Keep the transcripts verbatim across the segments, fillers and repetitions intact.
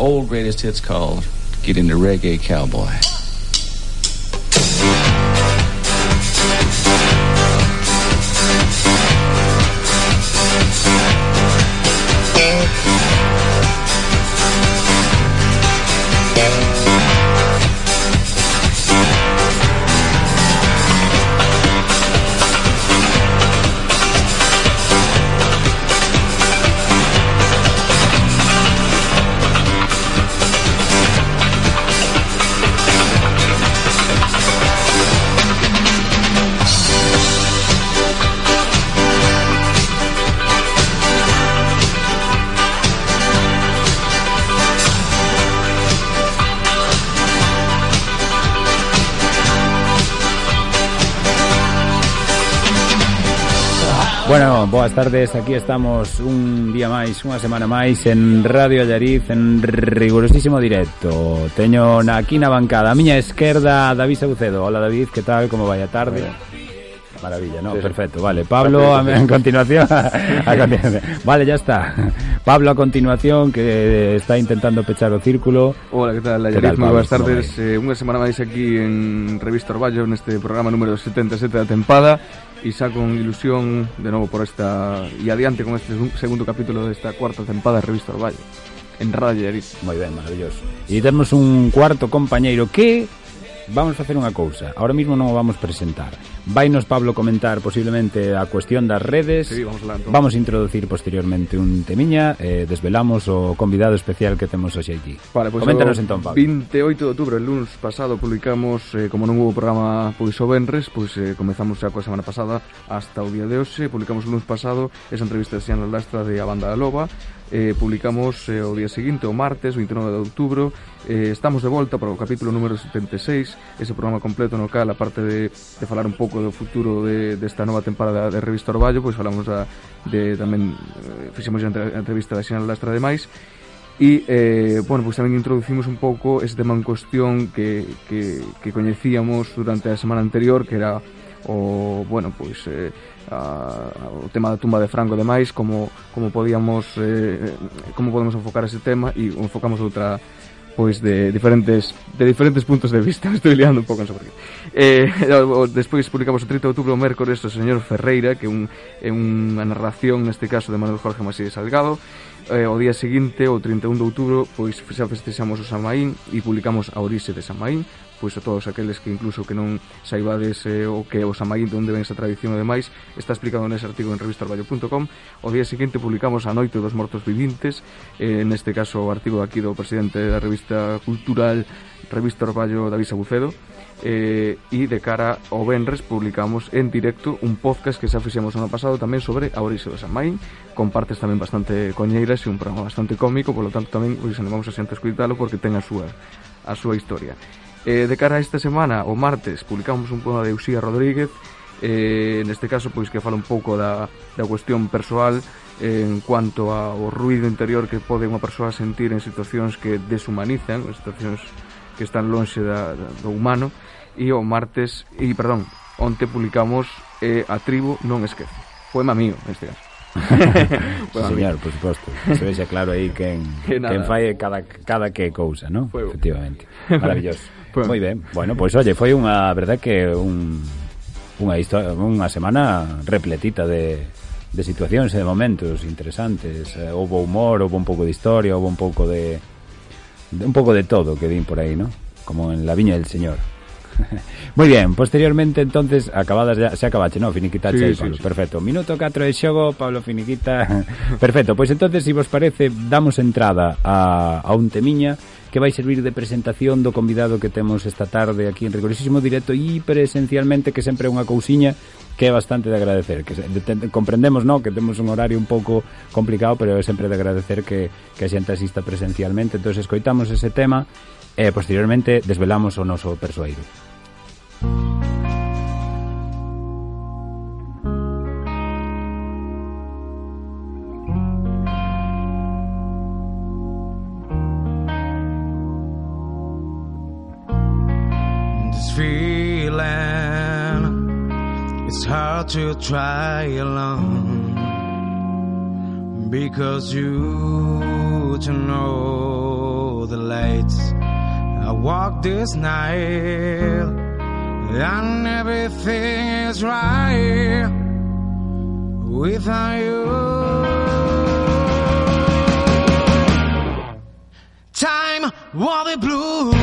Old greatest hits called Get Into Reggae Cowboy. Bueno, boas tardes, aquí estamos un día máis, unha semana máis en Radio Allariz en rigurosísimo directo. Teño na, aquí na bancada a miña esquerda David Saucedo. Hola David, que tal, como vai a tarde? Maravilla, ¿no? Sí, perfecto, vale. Pablo, a, a continuación, a continuación. Vale, ya está. Pablo a continuación, que está intentando pechar o círculo. Hola, que tal, Allariz? Moi boas tardes. Eh, unha semana máis aquí en Revista Orballo, neste programa número setenta e sete da tempada. E xa con ilusión de novo por esta e adiante con este segundo capítulo desta cuarta tempada de Revista Orballo en Radio Allariz. Moi ben, maravilloso. E temos un cuarto compañeiro que vamos a facer unha cousa. Ahora mismo non o vamos presentar. Vainos Pablo comentar posiblemente a cuestión das redes. Sí, vamos a Vamos a introducir posteriormente un temiña, eh, desvelamos o convidado especial que temos hoxe aquí. Vale, pues coméntanos entón, Pablo. vinte e oito de outubro, el lunes pasado, publicamos, eh, como non hubo programa pois o venres, pois eh, comezamos xa coa semana pasada hasta o día de hoxe. Publicamos o lunes pasado esa entrevista de Xiana Lastra de A Banda da Loba. Eh, publicamos eh, o día seguinte, o martes, vinte e nove de outubro. Eh, estamos de volta para o capítulo número setenta e seis, ese programa completo no cal, aparte de, de falar un pouco do futuro de, desta nova temporada de Revista Orballo, pois falamos a, de tamén eh, fixemos a entrevista da Xiana Lastra de máis. E, eh, bueno, pois tamén introducimos un pouco ese tema en cuestión que, que, que coñecíamos durante a semana anterior, que era o, bueno, pois eh, a, o tema da tumba de Franco e demais, como, como podíamos eh, como podemos enfocar ese tema, e enfocamos outra pois de diferentes de diferentes puntos de vista. Me estou liando un pouco, non sei por qué. Eh, despois publicamos o trinta de outubro o mércores o señor Ferreira, que é un, é unha narración neste caso de Manuel Jorge Maside Salgado. Eh, o día seguinte, o trinta e un de outubro, pois xa festexamos o San Maín e publicamos a orixe de San Maín, pois a todos aqueles que incluso que non saibades eh, o que é o San Maín, de onde ven esa tradición e demais, está explicado nese artigo en revista orballo punto com. O día seguinte publicamos a Noite dos Mortos Vivintes, eh, neste caso o artigo aquí do presidente da revista cultural Revista Orballo, David Saucedo. Eh, e de cara ao venres publicamos en directo un podcast que xa fixemos o ano pasado tamén sobre a orixe do San Maín, con partes tamén bastante coñeiras e un programa bastante cómico, polo tanto tamén pois animamos a xente a escuitalo porque ten a súa a súa historia. Eh, de cara a esta semana, o martes, publicamos un poema de Uxía Rodríguez, eh, neste caso pois que fala un pouco da, da cuestión persoal eh, en cuanto ao ruido interior que pode unha persoa sentir en situacións que deshumanizan, en situacións que están lonxe da, da, do humano. E o martes, e perdón, onte publicamos eh, A Tribo Non Esquece, poema mío neste caso. Sí, señor, por suposto. Se vexe claro aí quen, que quen fai cada, cada que cousa, ¿no? Fuego. Efectivamente. Maravilloso. Moi ben. Bueno, pois pues, oye, foi unha verdad que un, unha historia, unha semana repletita de, de situacións e de momentos interesantes. Eh, houve humor, houve un pouco de historia, houve un pouco de, de un pouco de todo que din por aí, ¿no? Como en La Viña del Señor. Moi bien, posteriormente entonces acabadas ya, se acabache, no, finiquitache aí, sí, Pablo, sí, sí. Perfecto, minuto catro de xogo, Pablo finiquita. Perfecto, pois pues entonces, se si vos parece, damos entrada a, a un temiña que vai servir de presentación do convidado que temos esta tarde aquí en rigorosísimo directo e presencialmente, que sempre é unha cousiña que é bastante de agradecer, que de, de, comprendemos, no, que temos un horario un pouco complicado, pero é sempre de agradecer que, que a xente asista presencialmente. Entonces escoitamos ese tema e posteriormente desvelamos o noso persoeiro. This feeling, it's hard to try alone, because you to know the lights. I walk this night and everything is right without you. Time for the blues.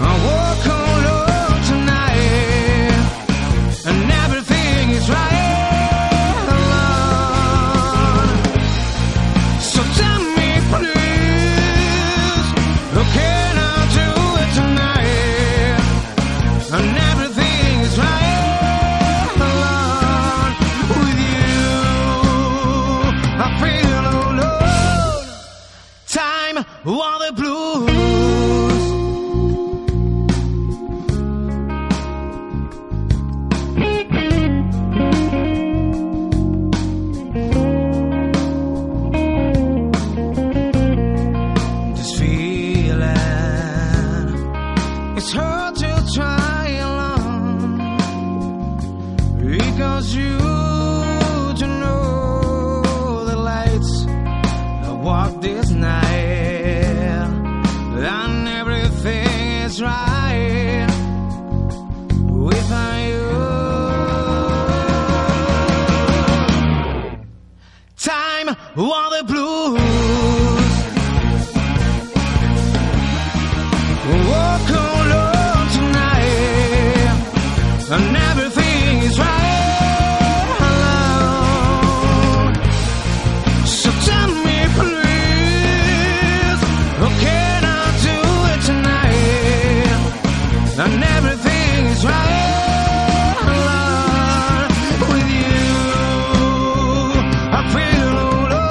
I walk alone tonight and everything is right. All the blues. This feeling, it's hard to try alone because you don't know the lights. I walk this night and everything is right without you. Time for the blues. Walk alone tonight and everything is right. So tell me please, okay, and everything is right with you. I feel alone.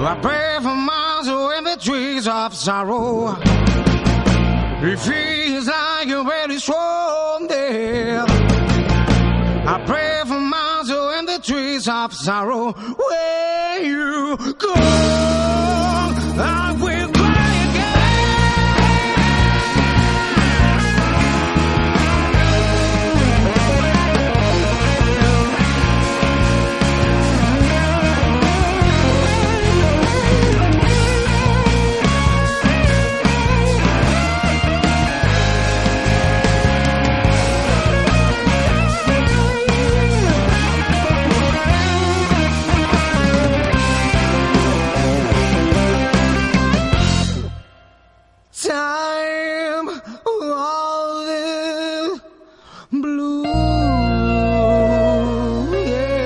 I pray for miles in the trees of sorrow. It feels like you're very strong there. I pray for miles in the trees of sorrow. Where you go, I will cry again. Time all the blue, yeah.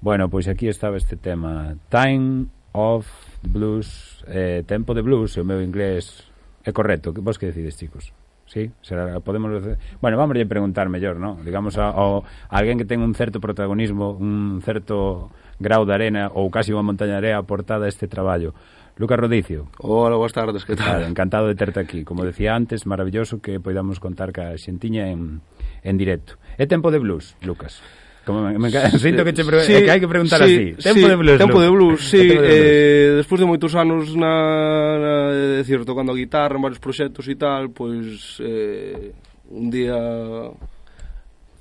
Bueno, pois aquí estaba este tema, Time of Blues, eh, Tempo de Blues, o meu inglés é correcto, vos que decides, chicos? Sí, será, podemos decir... Bueno, vamos a preguntar mellor, ¿no? Digamos, a, a, a alguén que ten un certo protagonismo, un certo grau de arena ou casi unha montaña de area aportada a este traballo. Lucas Rodicio. Hola, boas tardes, que tal? Claro, encantado de terte aquí. Como decía antes, maravilloso que podamos contar ca xentiña en, en directo. É tempo de blues, Lucas? Como me, me sinto que, che pre... sí, que hai que preguntar sí, así. Tempo sí, de blues. Tempo de blues, sí. De blues. Eh, despois de moitos anos na, na de decir, tocando a guitarra en varios proxectos e tal, pois eh, un día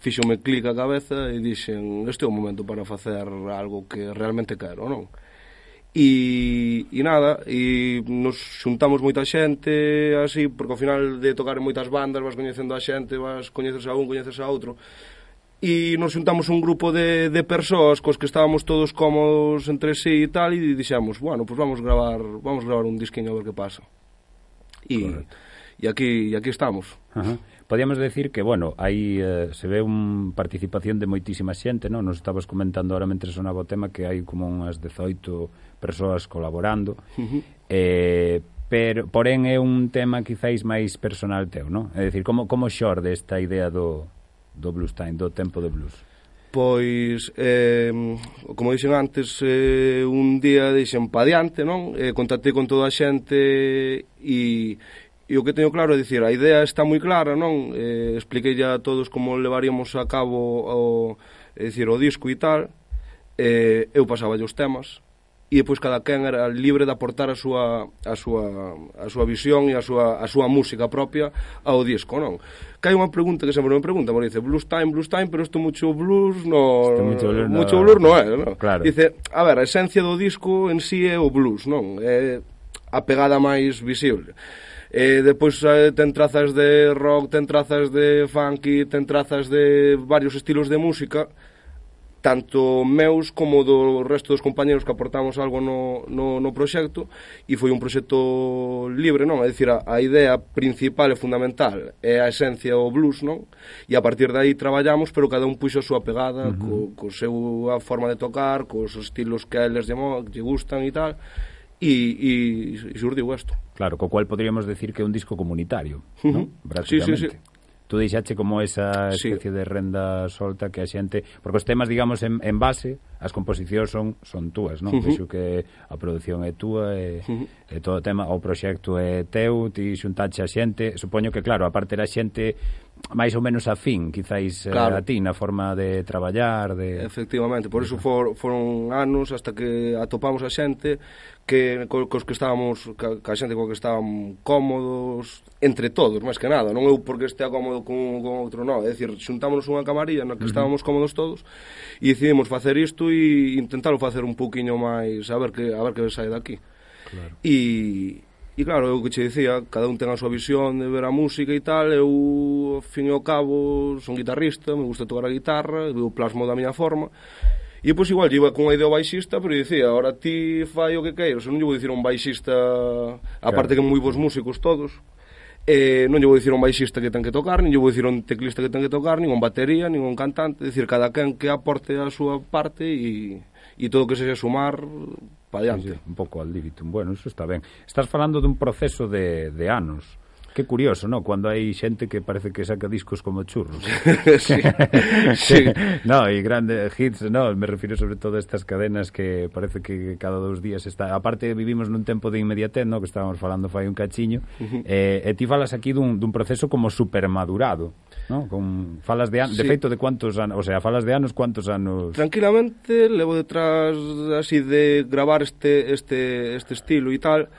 fíxome clic a cabeza e dixen, este é o momento para facer algo que realmente quero, non? E, e nada, e nos xuntamos moita xente así, porque ao final de tocar en moitas bandas vas coñecendo a xente, vas coñeces a un, coñeces a outro, e nos xuntamos un grupo de, de persoas cos que estábamos todos cómodos entre sí e tal, e dixemos, bueno, pues vamos gravar vamos gravar un disquiño a ver que pasa. E, e aquí e aquí estamos. Ajá. Podíamos decir que, bueno, aí eh, se ve un participación de moitísima xente, non? Nos estabas comentando ahora mentre sonaba o tema que hai como unhas dezoito persoas colaborando. Uh-huh. eh, pero porén é un tema quizáis máis personal teu, non? É dicir, como, como xorde esta idea do, do blues time, do tempo do blues? Pois, eh, como dixen antes, eh, un día dixen pa diante, non? Eh, contactei con toda a xente e, e o que teño claro é dicir, a idea está moi clara, non? Eh, expliquei a todos como levaríamos a cabo o, é dicir, o disco e tal, eh, eu pasaba os temas, e depois cada quen era libre de aportar a súa a súa a súa visión e a súa a súa música propia ao disco, non? Que hai unha pregunta que sempre me pregunta, me dice blues time, blues time, pero isto mucho blues no mucho blues, mucho no, blues non é, non? Claro. Dice, a ver, a esencia do disco en sí é o blues, non? É a pegada máis visible. E depois eh, ten trazas de rock, ten trazas de funky, ten trazas de varios estilos de música, tanto meus como do resto dos compañeros que aportamos algo no, no, no proxecto, e foi un proxecto libre, non? É dicir, a, a idea principal e fundamental é a esencia o blues, non? E a partir de aí traballamos, pero cada un puxo a súa pegada, uh-huh. co, co seu a forma de tocar, cos estilos que a eles lle, lle gustan e tal, e, e, e surdiu isto. Claro, co cual poderíamos decir que é un disco comunitario, uh-huh. non? Prácticamente. Sí, sí, sí. Tú deixache como esa especie sí. de renda solta que a xente... Porque os temas, digamos, en, en base, as composicións son son túas, non? Uh-huh. Vexo que a produción é túa e, uh-huh. e todo o tema, o proxecto é teu, ti xuntache a xente. Supoño que, claro, a parte da xente máis ou menos afín, quizáis, claro. a ti, na forma de traballar, de... Efectivamente, por eso for, foron anos hasta que atopamos a xente que co, cos que estábamos, ca, ca xente co que estábamos cómodos, entre todos, máis que nada, non eu porque estea cómodo con, con outro, non, é dicir, xuntámonos unha camarilla na que uh-huh. estábamos cómodos todos e decidimos facer isto e intentarlo facer un pouquiño máis, a ver que, a ver que sai daqui. Claro. E... E claro, eu que che dicía, cada un ten a súa visión de ver a música e tal, eu, ao fin e ao cabo, son guitarrista, me gusta tocar a guitarra, eu plasmo da miña forma, e depois igual, iba con a idea baixista, pero dicía, ahora ti fai o que queiras, eu non lle vou dicir a un baixista, aparte claro. que moi bons músicos todos, eh, non lle vou dicir a un baixista que ten que tocar, nin lle vou dicir a un teclista que ten que tocar, nin a un batería, nin a un cantante, é dicir, cada quen que aporte a súa parte e, e todo o que sexa sumar... Sí, sí, un pouco al libitum. Bueno, eso está ben. Estás falando dun proceso de, de anos. Que curioso, ¿no? Cuando hai xente que parece que saca discos como churros. sí, sí. No, e grandes hits, no, me refiro sobre todo a estas cadenas que parece que cada dos días está... Aparte, vivimos nun tempo de inmediatez, ¿no? Que estábamos falando fai un cachiño. Uh-huh. eh, e ti falas aquí dun, dun proceso como supermadurado, ¿no? Con falas de anos, sí. de feito de cuántos anos, o sea, falas de anos, cuántos anos... Tranquilamente levo detrás así de gravar este este este estilo e tal,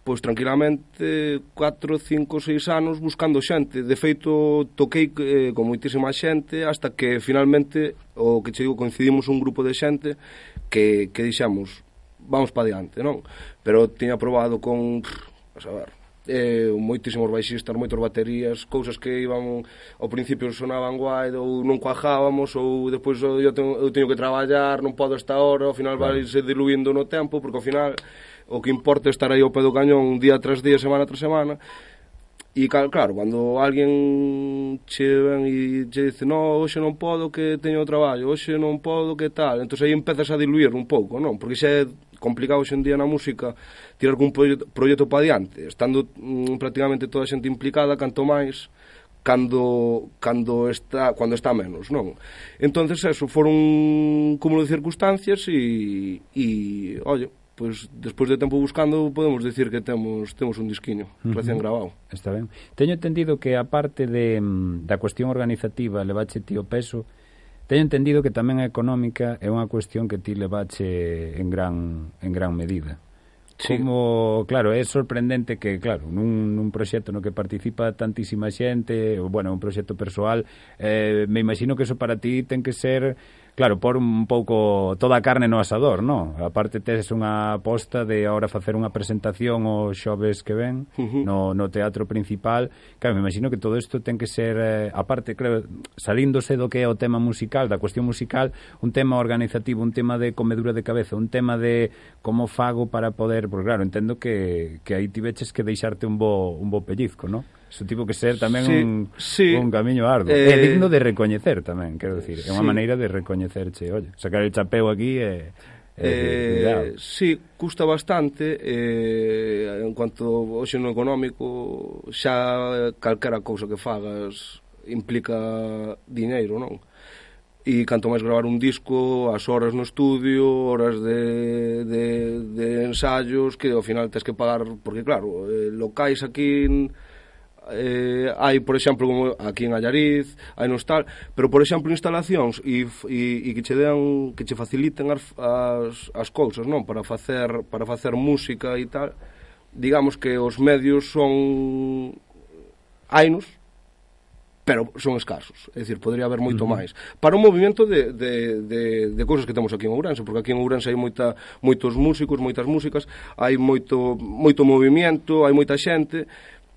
pois tranquilamente catro, cinco, seis anos buscando xente. De feito toquei eh, con moitísima xente hasta que finalmente o que che digo coincidimos un grupo de xente que que dixemos, vamos pa diante, non? Pero tiña probado con, a saber, eh, moitísimos baixistas, moitos baterías, cousas que iban ao principio sonaban guai ou non cuajábamos, ou depois eu teño, eu teño que traballar, non podo esta hora, ao final claro. vai se diluindo no tempo, porque ao final o que importa é estar aí ao pé do cañón día tras día, semana tras semana. E claro, cando alguén che ven e che dice no, hoxe non podo que teño traballo, hoxe non podo que tal, entón aí empezas a diluir un pouco, non? Porque xa é complicado hoxe en día na música tirar algún proxecto, proxecto para diante, estando mm, prácticamente toda a xente implicada, canto máis cando cando está cando está menos, non? Entonces eso foron un cúmulo de circunstancias e e, oye, pois despois de tempo buscando podemos decir que temos temos un disquiño recién grabado. Está ben. Teño entendido que a parte de da cuestión organizativa levache ti o peso, teño entendido que tamén a económica é unha cuestión que ti levache en gran en gran medida. Sí. Como, claro, é sorprendente que, claro, nun, nun proxecto no que participa tantísima xente, bueno, un proxecto persoal, eh, me imagino que eso para ti ten que ser, claro, por un pouco toda a carne no asador, non? Aparte tes unha aposta de ahora facer unha presentación os xoves que ven uh-huh. no, no teatro principal. Claro, me imagino que todo isto ten que ser, eh, aparte, claro, salíndose do que é o tema musical, da cuestión musical, un tema organizativo, un tema de comedura de cabeza, un tema de como fago para poder, porque claro, entendo que, que aí tiveches que deixarte un bo, un bo pellizco, non? Eso tivo que ser tamén sí, un, sí. un camiño arduo. Eh... É digno de recoñecer tamén, quero dicir. É unha sí. maneira de recoñecerche. Oye, sacar el chapeu aquí e... Eh, sí, custa bastante eh, en cuanto hoxe no económico xa calquera cousa que fagas implica diñeiro, non? E canto máis gravar un disco, as horas no estudio, horas de, de, de ensayos que ao final tens que pagar, porque claro, eh, locais aquí en, Eh, hai, por exemplo, como aquí en Allariz, hai nos tal, pero por exemplo instalacións e, e, e que che den, que che faciliten as, as, as cousas, non? Para facer, para facer música e tal, digamos que os medios son hainos, pero son escasos, é dicir, podría haber moito uh-huh. máis para un movimento de, de, de, de cousas que temos aquí en Ourense, porque aquí en Ourense hai moita, moitos músicos, moitas músicas, hai moito, moito movimento, hai moita xente.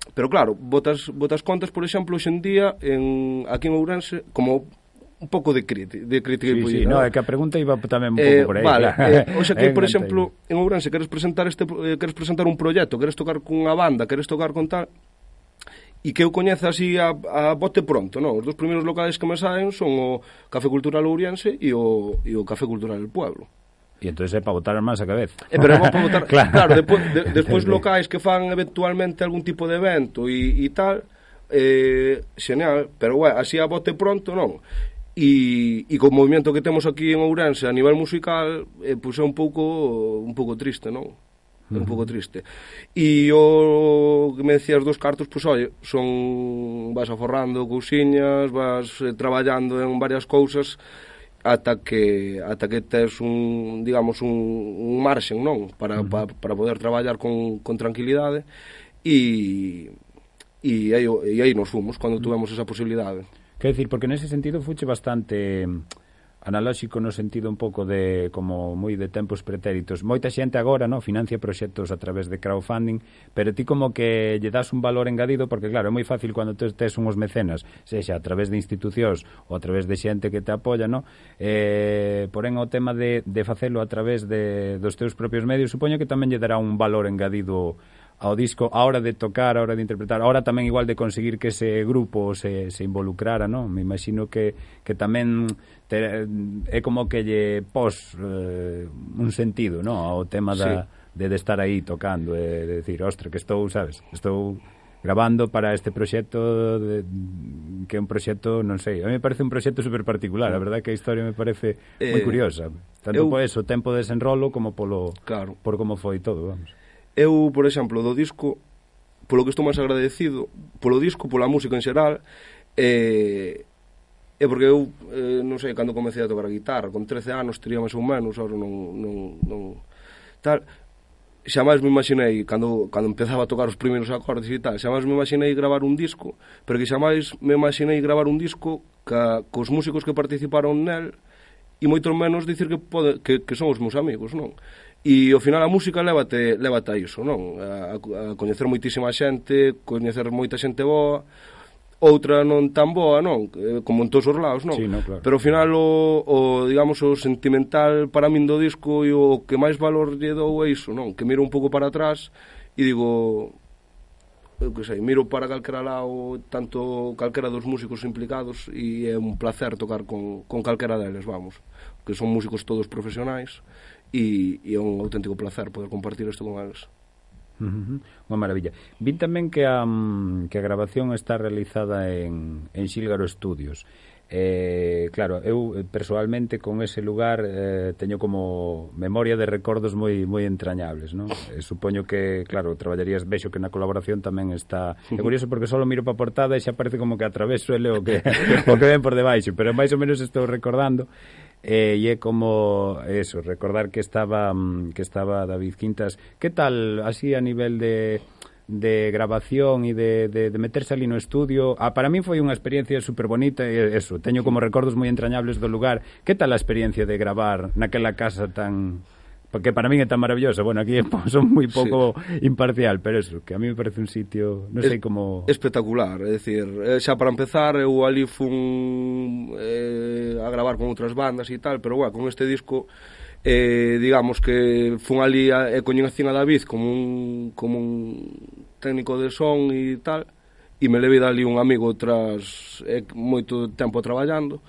Pero claro, botas, botas contas, por exemplo, hoxe en día, en, aquí en Ourense, como un pouco de crítica. De crítica sí, sí, no, é que a pregunta iba tamén un pouco eh, por aí. Vale, claro. eh, hoxe aquí, por exemplo, en Ourense, queres presentar, este, eh, queres presentar un proxecto, queres tocar cunha banda, queres tocar con tal, e que eu coñeza así a, a bote pronto, non? Os dos primeiros locales que me saen son o Café Cultural Ourense e o, e o Café Cultural del Pueblo. E entón é para botar máis a cabeza. Eh, pero é para botar, claro, claro despois, de, despois locais que fan eventualmente algún tipo de evento e, e tal, eh, xeneal, pero bueno, así a bote pronto non. E, e co movimento que temos aquí en Ourense a nivel musical, eh, pois é un pouco un pouco triste, non? É un pouco triste. E o que me decías dos cartos, pois oi, son vas aforrando cousiñas, vas eh, traballando en varias cousas ata que ata que tes un, digamos, un, un marxen, non? Para, uh-huh. para, para poder traballar con, con tranquilidade e e aí, e aí nos fomos cando tuvemos esa posibilidade. Quer decir, porque nese sentido fuche bastante analóxico no sentido un pouco de como moi de tempos pretéritos. Moita xente agora, no, financia proxectos a través de crowdfunding, pero ti como que lle das un valor engadido, porque claro, é moi fácil cando tes, tes unhos mecenas, sexa a través de institucións ou a través de xente que te apoia, no? Eh, porén o tema de, de facelo a través de, dos teus propios medios, supoño que tamén lle dará un valor engadido ao disco, a hora de tocar, a hora de interpretar, a hora tamén igual de conseguir que ese grupo se, se involucrara, non? Me imagino que, que tamén te, é como que lle pos eh, un sentido, non? Ao tema da, sí. de, de estar aí tocando, e de decir, ostra, que estou, sabes, estou grabando para este proxecto de, que é un proxecto, non sei, a mí me parece un proxecto super particular, a verdade que a historia me parece eh, moi curiosa, tanto eu, por eso, tempo de desenrolo como polo, claro. por como foi todo, vamos. Eu, por exemplo, do disco, polo que estou máis agradecido, polo disco, pola música en xeral, eh, é porque eu, eh, non sei, cando comecei a tocar a guitarra, con trece anos, tería máis ou menos, ahora non, non, non tal, xamais me imaginei, cando, cando empezaba a tocar os primeiros acordes e tal, xamais me imaginei gravar un disco, pero que xamais me imaginei gravar un disco ca, cos músicos que participaron nel, e moito menos dicir que, pode, que, que son os meus amigos, non? E ao final a música lévate, lévate a iso, non? A, a coñecer moitísima xente, coñecer moita xente boa, outra non tan boa, non? Como en todos os lados, non? Sí, no, claro. Pero ao final o, o, digamos, o sentimental para min do disco e o que máis valor lle dou é iso, non? Que miro un pouco para atrás e digo, eu que sei, miro para calquera lado, tanto calquera dos músicos implicados, e é un placer tocar con, con calquera deles, vamos, que son músicos todos profesionais, e, e é un auténtico placer poder compartir isto con eles. Uh-huh. Unha maravilla. Vin tamén que a, que a grabación está realizada en, en Xílgaro Studios. Eh, claro, eu personalmente con ese lugar eh, teño como memoria de recordos moi moi entrañables, non? Eh, supoño que, claro, traballarías, vexo que na colaboración tamén está. É curioso porque só miro para a portada e xa parece como que atraveso ele o que o que ven por debaixo, pero máis ou menos estou recordando. Eh, e é como eso, recordar que estaba que estaba David Quintas. Que tal así a nivel de de grabación e de, de, de meterse ali no estudio? Ah, para mí foi unha experiencia super bonita e eso, teño como recordos moi entrañables do lugar. Que tal a experiencia de gravar naquela casa tan... porque para mí é tan maravillosa. Bueno, aquí son moi pouco sí. imparcial, pero eso, que a mí me parece un sitio, non sei como... Espectacular, é dicir, xa para empezar, eu ali fun eh, a gravar con outras bandas e tal, pero bueno, con este disco, eh, digamos que fun ali e coñecín a David como un, como un técnico de son e tal, e me levei dali un amigo tras eh, moito tempo traballando,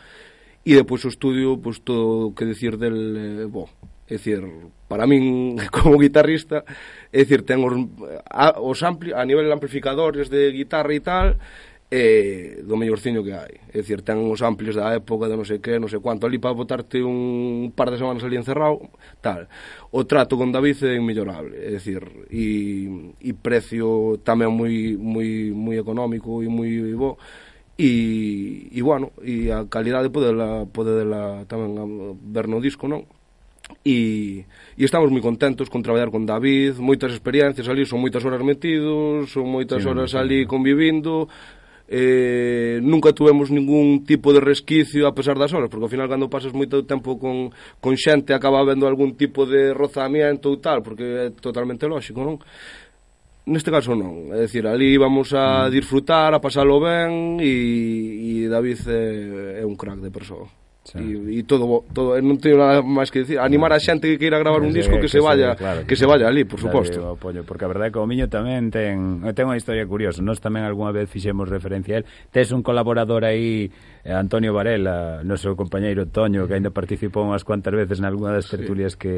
e depois o estudio, pois todo o que dicir del, eh, bo, É dicir, para min, como guitarrista, é dicir, ten os, a, os ampli, a nivel de amplificadores de guitarra e tal, é do mellorciño que hai. É dicir, ten os amplios da época de non sei que, non sei cuánto, ali para botarte un par de semanas ali encerrado, tal. O trato con David é inmellorable, é dicir, e, e precio tamén moi moi moi económico e moi bo. E, e bueno, e a calidade podela, podela tamén ver no disco, non? E, e estamos moi contentos con traballar con David, moitas experiencias ali, son moitas horas metidos, son moitas sí, horas ali convivindo, eh, nunca tuvemos ningún tipo de resquicio a pesar das horas, porque ao final cando pasas moito tempo con, con xente acaba vendo algún tipo de rozamiento ou tal, porque é totalmente lógico, non? Neste caso non, é dicir, ali vamos a disfrutar, a pasalo ben, e, e David é, é un crack de persoa. Sí. E, e todo, todo, non teño nada máis que dicir, animar a xente que queira gravar un disco que, que se vaya, se, claro, que, que se vaya ali, por suposto. Apoio, porque a verdade é que o Miño tamén ten, ten unha historia curiosa. Nós tamén algunha vez fixemos referencia a él. Tes un colaborador aí, Antonio Varela, noso compañeiro Toño, que ainda participou unhas cuantas veces nalgúna das tertulias sí. que,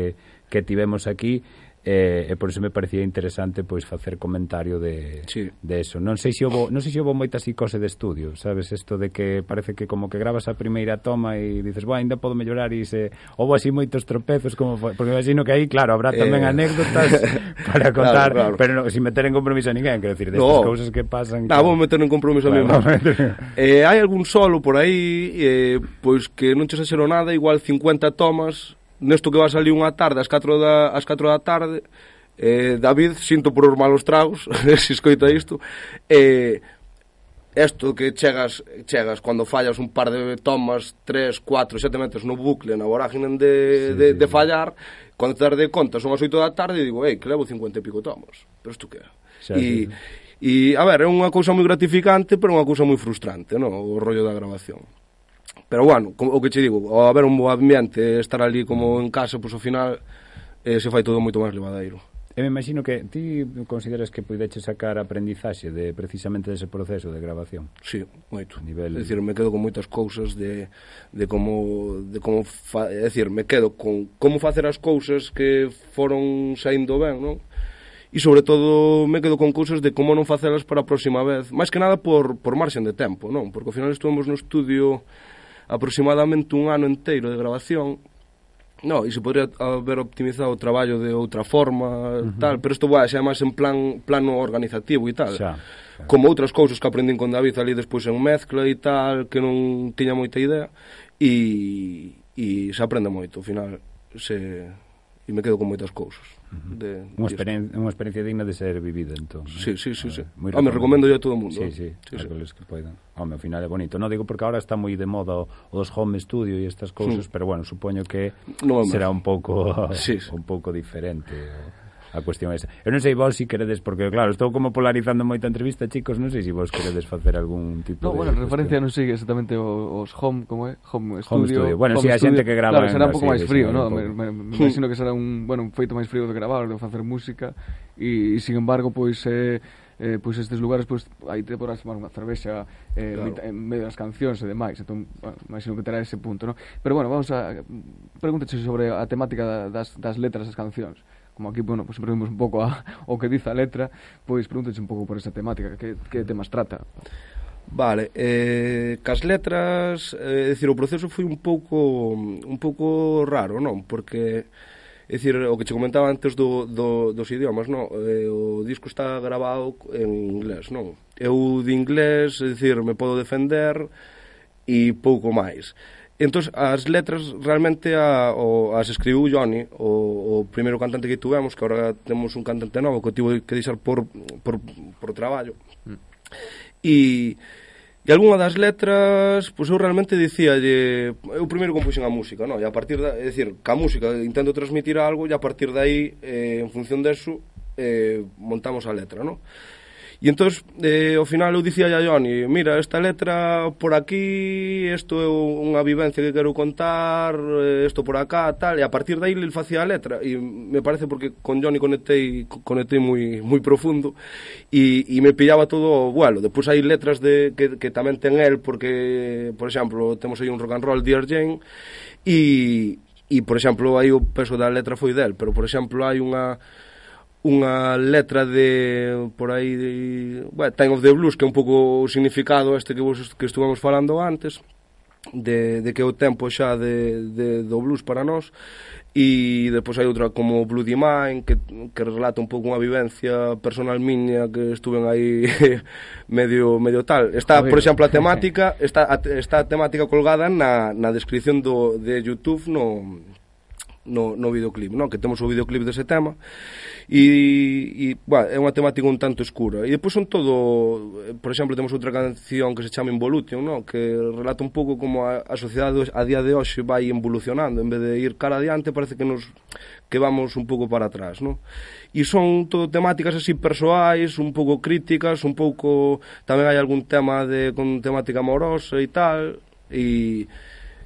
que tivemos aquí. E, e por iso me parecía interesante pois facer comentario de, sí. de eso. Non sei se houbo, non sei se houbo moita psicose de estudio, sabes, isto de que parece que como que gravas a primeira toma e dices, "Buah, ainda podo mellorar", e se houbo así moitos tropezos, como foi, porque imagino que aí, claro, habrá tamén eh... anécdotas para contar, claro, claro. Pero non, sin meter en compromiso a ninguén, quero decir, destas no. cousas que pasan. Ah, vou meter en compromiso claro, a mí. eh, hai algún solo por aí, eh, pois que non che exagero nada, igual cincuenta tomas. Nesto que va a salir unha tarde, ás catro da, ás catro da tarde, eh, David, sinto por os malos tragos, se escoita isto, eh, esto que chegas, chegas, cando fallas un par de tomas, tres, cuatro, sete metros no bucle, na vorágine de, sí, de, de fallar, cando te das de conta, son as oito da tarde, e digo, ei, que levo cincuenta e pico tomas, pero isto que é? E, e, a ver, é unha cousa moi gratificante, pero unha cousa moi frustrante, non? O rollo da grabación. Pero bueno, o que che digo, ao haber un bo ambiente, estar ali como en casa, pois ao final eh, se fai todo moito máis levadeiro. Eu me imagino que ti consideras que puideches sacar aprendizaxe de precisamente dese proceso de grabación. Sí, moito. Nivel... É dicir, me quedo con moitas cousas de, de como, de como fa... é dicir, me quedo con como facer as cousas que foron saindo ben, non? E sobre todo me quedo con cousas de como non facelas para a próxima vez, máis que nada por, por marxen de tempo, non? Porque ao final estuvemos no estudio aproximadamente un ano inteiro de grabación. No, e se podría haber optimizado o traballo de outra forma, uh-huh. tal, pero isto vai, xa é máis en plan plano organizativo e tal. Xa, xa. Como outras cousas que aprendín con David ali despois en mezcla e tal, que non tiña moita idea, e, e se aprende moito, ao final, se... e me quedo con moitas cousas. Uh-huh. de, unha, experien unha experiencia digna de ser vivida, entón. Sí, sí, sí, sí. Ah, me recomendo yo a todo o mundo. Sí, sí, sí, sí. Que poidan. Home, ao final é bonito. Non digo porque agora está moi de moda o, o dos home studio e estas cousas, sí. Pero bueno, supoño que no, será un pouco sí, sí. un pouco diferente a cuestión esa. Eu non sei vos si queredes, porque claro, estou como polarizando moita entrevista, chicos, non sei se vos queredes facer algún tipo no, de... No, bueno, referencia non sei exactamente os home, como é? Home studio. Home studio. Bueno, si sí, a xente que grava... Claro, será un pouco máis frío, non? Me, me, me imagino que será un, bueno, un feito máis frío de gravar, de facer música, e, e sin embargo, pois... Eh, eh, pois estes lugares pois aí te podrás tomar unha cervexa eh, claro. En medio das cancións e demais, entón, bueno, imagino que terá ese punto, ¿no? Pero bueno, vamos a pregúntate sobre a temática das, das letras das cancións. Como aquí, bueno, pues sempre vimos un pouco a, o que dice a letra, pois pregúntate un pouco por esa temática, que, que temas trata. Vale, eh, cas letras, é eh, dicir, o proceso foi un pouco un pouco raro, non? Porque é dicir, o que che comentaba antes do, do, dos idiomas, non? Eh, o disco está grabado en inglés, non? Eu de inglés, é dicir, me podo defender e pouco máis. Entón, as letras realmente a, o, as escribiu Johnny, o, o primeiro cantante que tuvemos, que agora temos un cantante novo que tivo que deixar por, por, por traballo. Mm. E, e algunha das letras, pois eu realmente dicíalle, eu primeiro compuxen a música, non? E a partir da, é dicir, ca música intento transmitir algo e a partir de aí, eh, en función deso, eh, montamos a letra, non? E entón, eh, ao final eu dicía a Johnny, mira, esta letra por aquí, isto é unha vivencia que quero contar, isto por acá, tal, e a partir de aí ele facía a letra, e me parece porque con Johnny conectei, conectei moi, moi profundo, e, e me pillaba todo o vuelo. Depois hai letras de, que, que tamén ten el, porque, por exemplo, temos aí un rock and roll, Dear Jane, e... e por exemplo, aí o peso da letra foi del, pero por exemplo hai unha unha letra de por aí de, bueno, Time of the Blues, que é un pouco o significado este que vos que estuvamos falando antes, de, de que é o tempo xa de, de, do blues para nós. E depois hai outra como Bloody Mind, que, que relata un pouco unha vivencia personal miña, que estuven aí medio medio tal. Está, por exemplo, a temática está a, está a temática colgada na, na descripción do, de YouTube no no, no videoclip, non? Que temos o videoclip dese tema e, e bueno, é unha temática un tanto escura. E depois son todo, por exemplo, temos outra canción que se chama Involution, non? Que relata un pouco como a, a sociedade a día de hoxe vai evolucionando, en vez de ir cara adiante parece que nos que vamos un pouco para atrás, non? E son todo temáticas así persoais, un pouco críticas, un pouco tamén hai algún tema de con temática amorosa e tal, e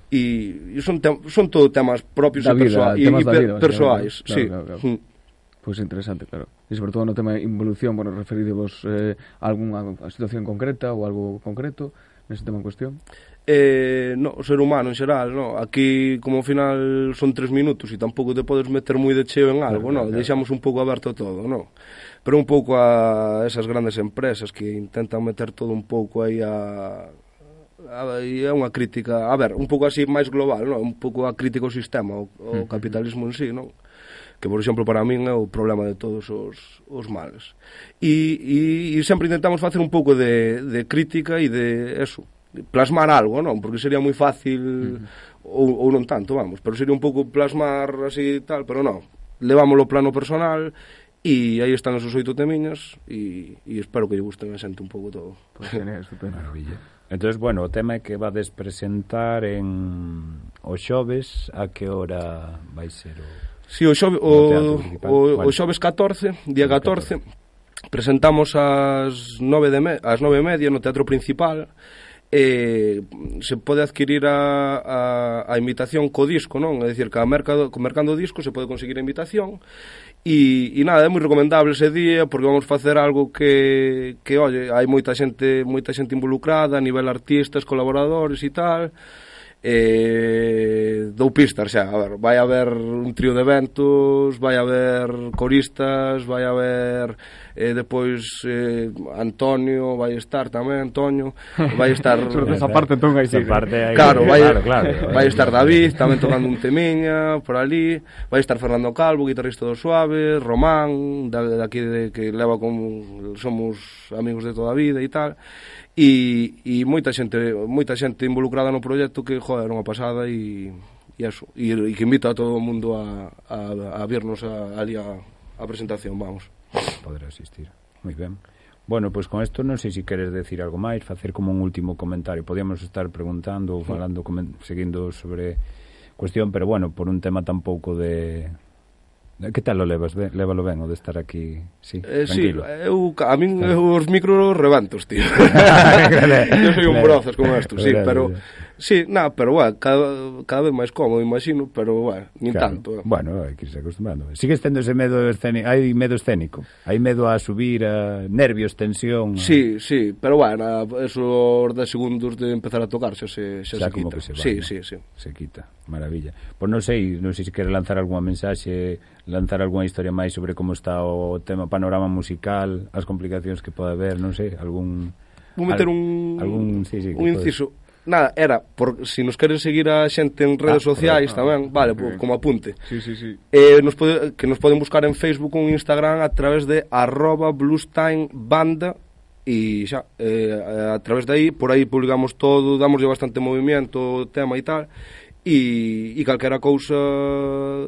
e son, te, son todo temas propios da e, vida, persoa, e, e per, vida, persoais, claro, sí. Claro, claro, claro. Mm. Pois pues interesante, claro. E sobre todo no tema de involución, bueno, referidevos eh, a algunha situación concreta ou algo concreto nese tema en cuestión? Eh, no, o ser humano en xeral, no. Aquí, como ao final son tres minutos e tampouco te podes meter moi de cheo en algo, claro, no. Claro. Deixamos un pouco aberto todo, no. Pero un pouco a esas grandes empresas que intentan meter todo un pouco aí a... e é unha crítica, a ver, un pouco así máis global, non? Un pouco a crítica ao sistema, o, o capitalismo en sí, non? Que, por exemplo, para min é o problema de todos os, os males. E, e, e sempre intentamos facer un pouco de, de crítica e de eso, de plasmar algo, non? Porque sería moi fácil, uh-huh. ou, ou non tanto, vamos, pero sería un pouco plasmar así tal, pero non, levámoslo ao plano personal e aí están os oito temiñas e, e espero que lle gusten a xente un pouco todo. Pois pues, genial, estupendo. Maravilla. Entonces, bueno, o tema é que vades presentar en o xoves, a que hora vai ser o... Si, sí, o xoves, o, o, o xoves catorce, día catorce, presentamos ás nove de me, ás nove e media no Teatro Principal. Eh, se pode adquirir a, a, a invitación co disco, non? É dicir, que a mercado, co mercando disco se pode conseguir a invitación. E, e nada, é moi recomendable ese día porque vamos facer algo que, que oye, hai moita xente moita xente involucrada a nivel artistas, colaboradores e tal. Eh, dou pistas xa, a ver, vai haber un trío de eventos, vai haber coristas, vai haber eh, depois eh, Antonio vai estar tamén, Antonio vai estar esa parte entón aí, sí, parte aí, claro, vai, claro, claro, vai estar David tamén tocando un temiña por ali, vai estar Fernando Calvo, guitarrista do Suave, Román de, de aquí de, que leva como somos amigos de toda a vida e tal. E, e moita xente moita xente involucrada no proxecto que, joder, era unha pasada e, e eso, e, e que invita a todo o mundo a, a, a vernos a, ali a, a presentación, vamos. Poder asistir, moi ben. Bueno, pois pues con isto non sei se queres decir algo máis, facer como un último comentario. Podíamos estar preguntando ou falando, seguindo sobre cuestión, pero bueno, por un tema tampouco de... Que tal o levas? Lévalo ben o de estar aquí, sí, eh, tranquilo. Sí, eu, a min eu, os micros reventos, tío. Eu soy un brozas con esto, sí, pero... Sí, nada, pero bueno, cada, cada vez máis cómodo, imagino, pero bueno, nin claro. tanto. Eh. Bueno, hai que irse acostumando. Sigues tendo ese medo escénico, hai medo escénico, hai medo a subir, a nervios, tensión. Sí, a... sí, pero bueno, esos dez segundos de empezar a tocar xa se, xa xa se como quita. Que se va, sí, ¿no? sí, sí. Se quita, maravilla. Pois non sei, non sei se quere lanzar algunha mensaxe, lanzar algunha historia máis sobre como está o tema panorama musical, as complicacións que pode haber, non sei, algún... Vou meter al, un, algún, sí, sí, un inciso. Podes... Nada, era, por, si nos queren seguir a xente en redes ah, sociais ah, tamén, vale, okay. Como apunte. Sí, sí, sí. Eh, nos pode, que nos poden buscar en Facebook ou en Instagram a través de arroba bluestimebanda e xa, eh, a través de aí, por aí publicamos todo, damoslle bastante movimiento, tema e tal, e, e calquera cousa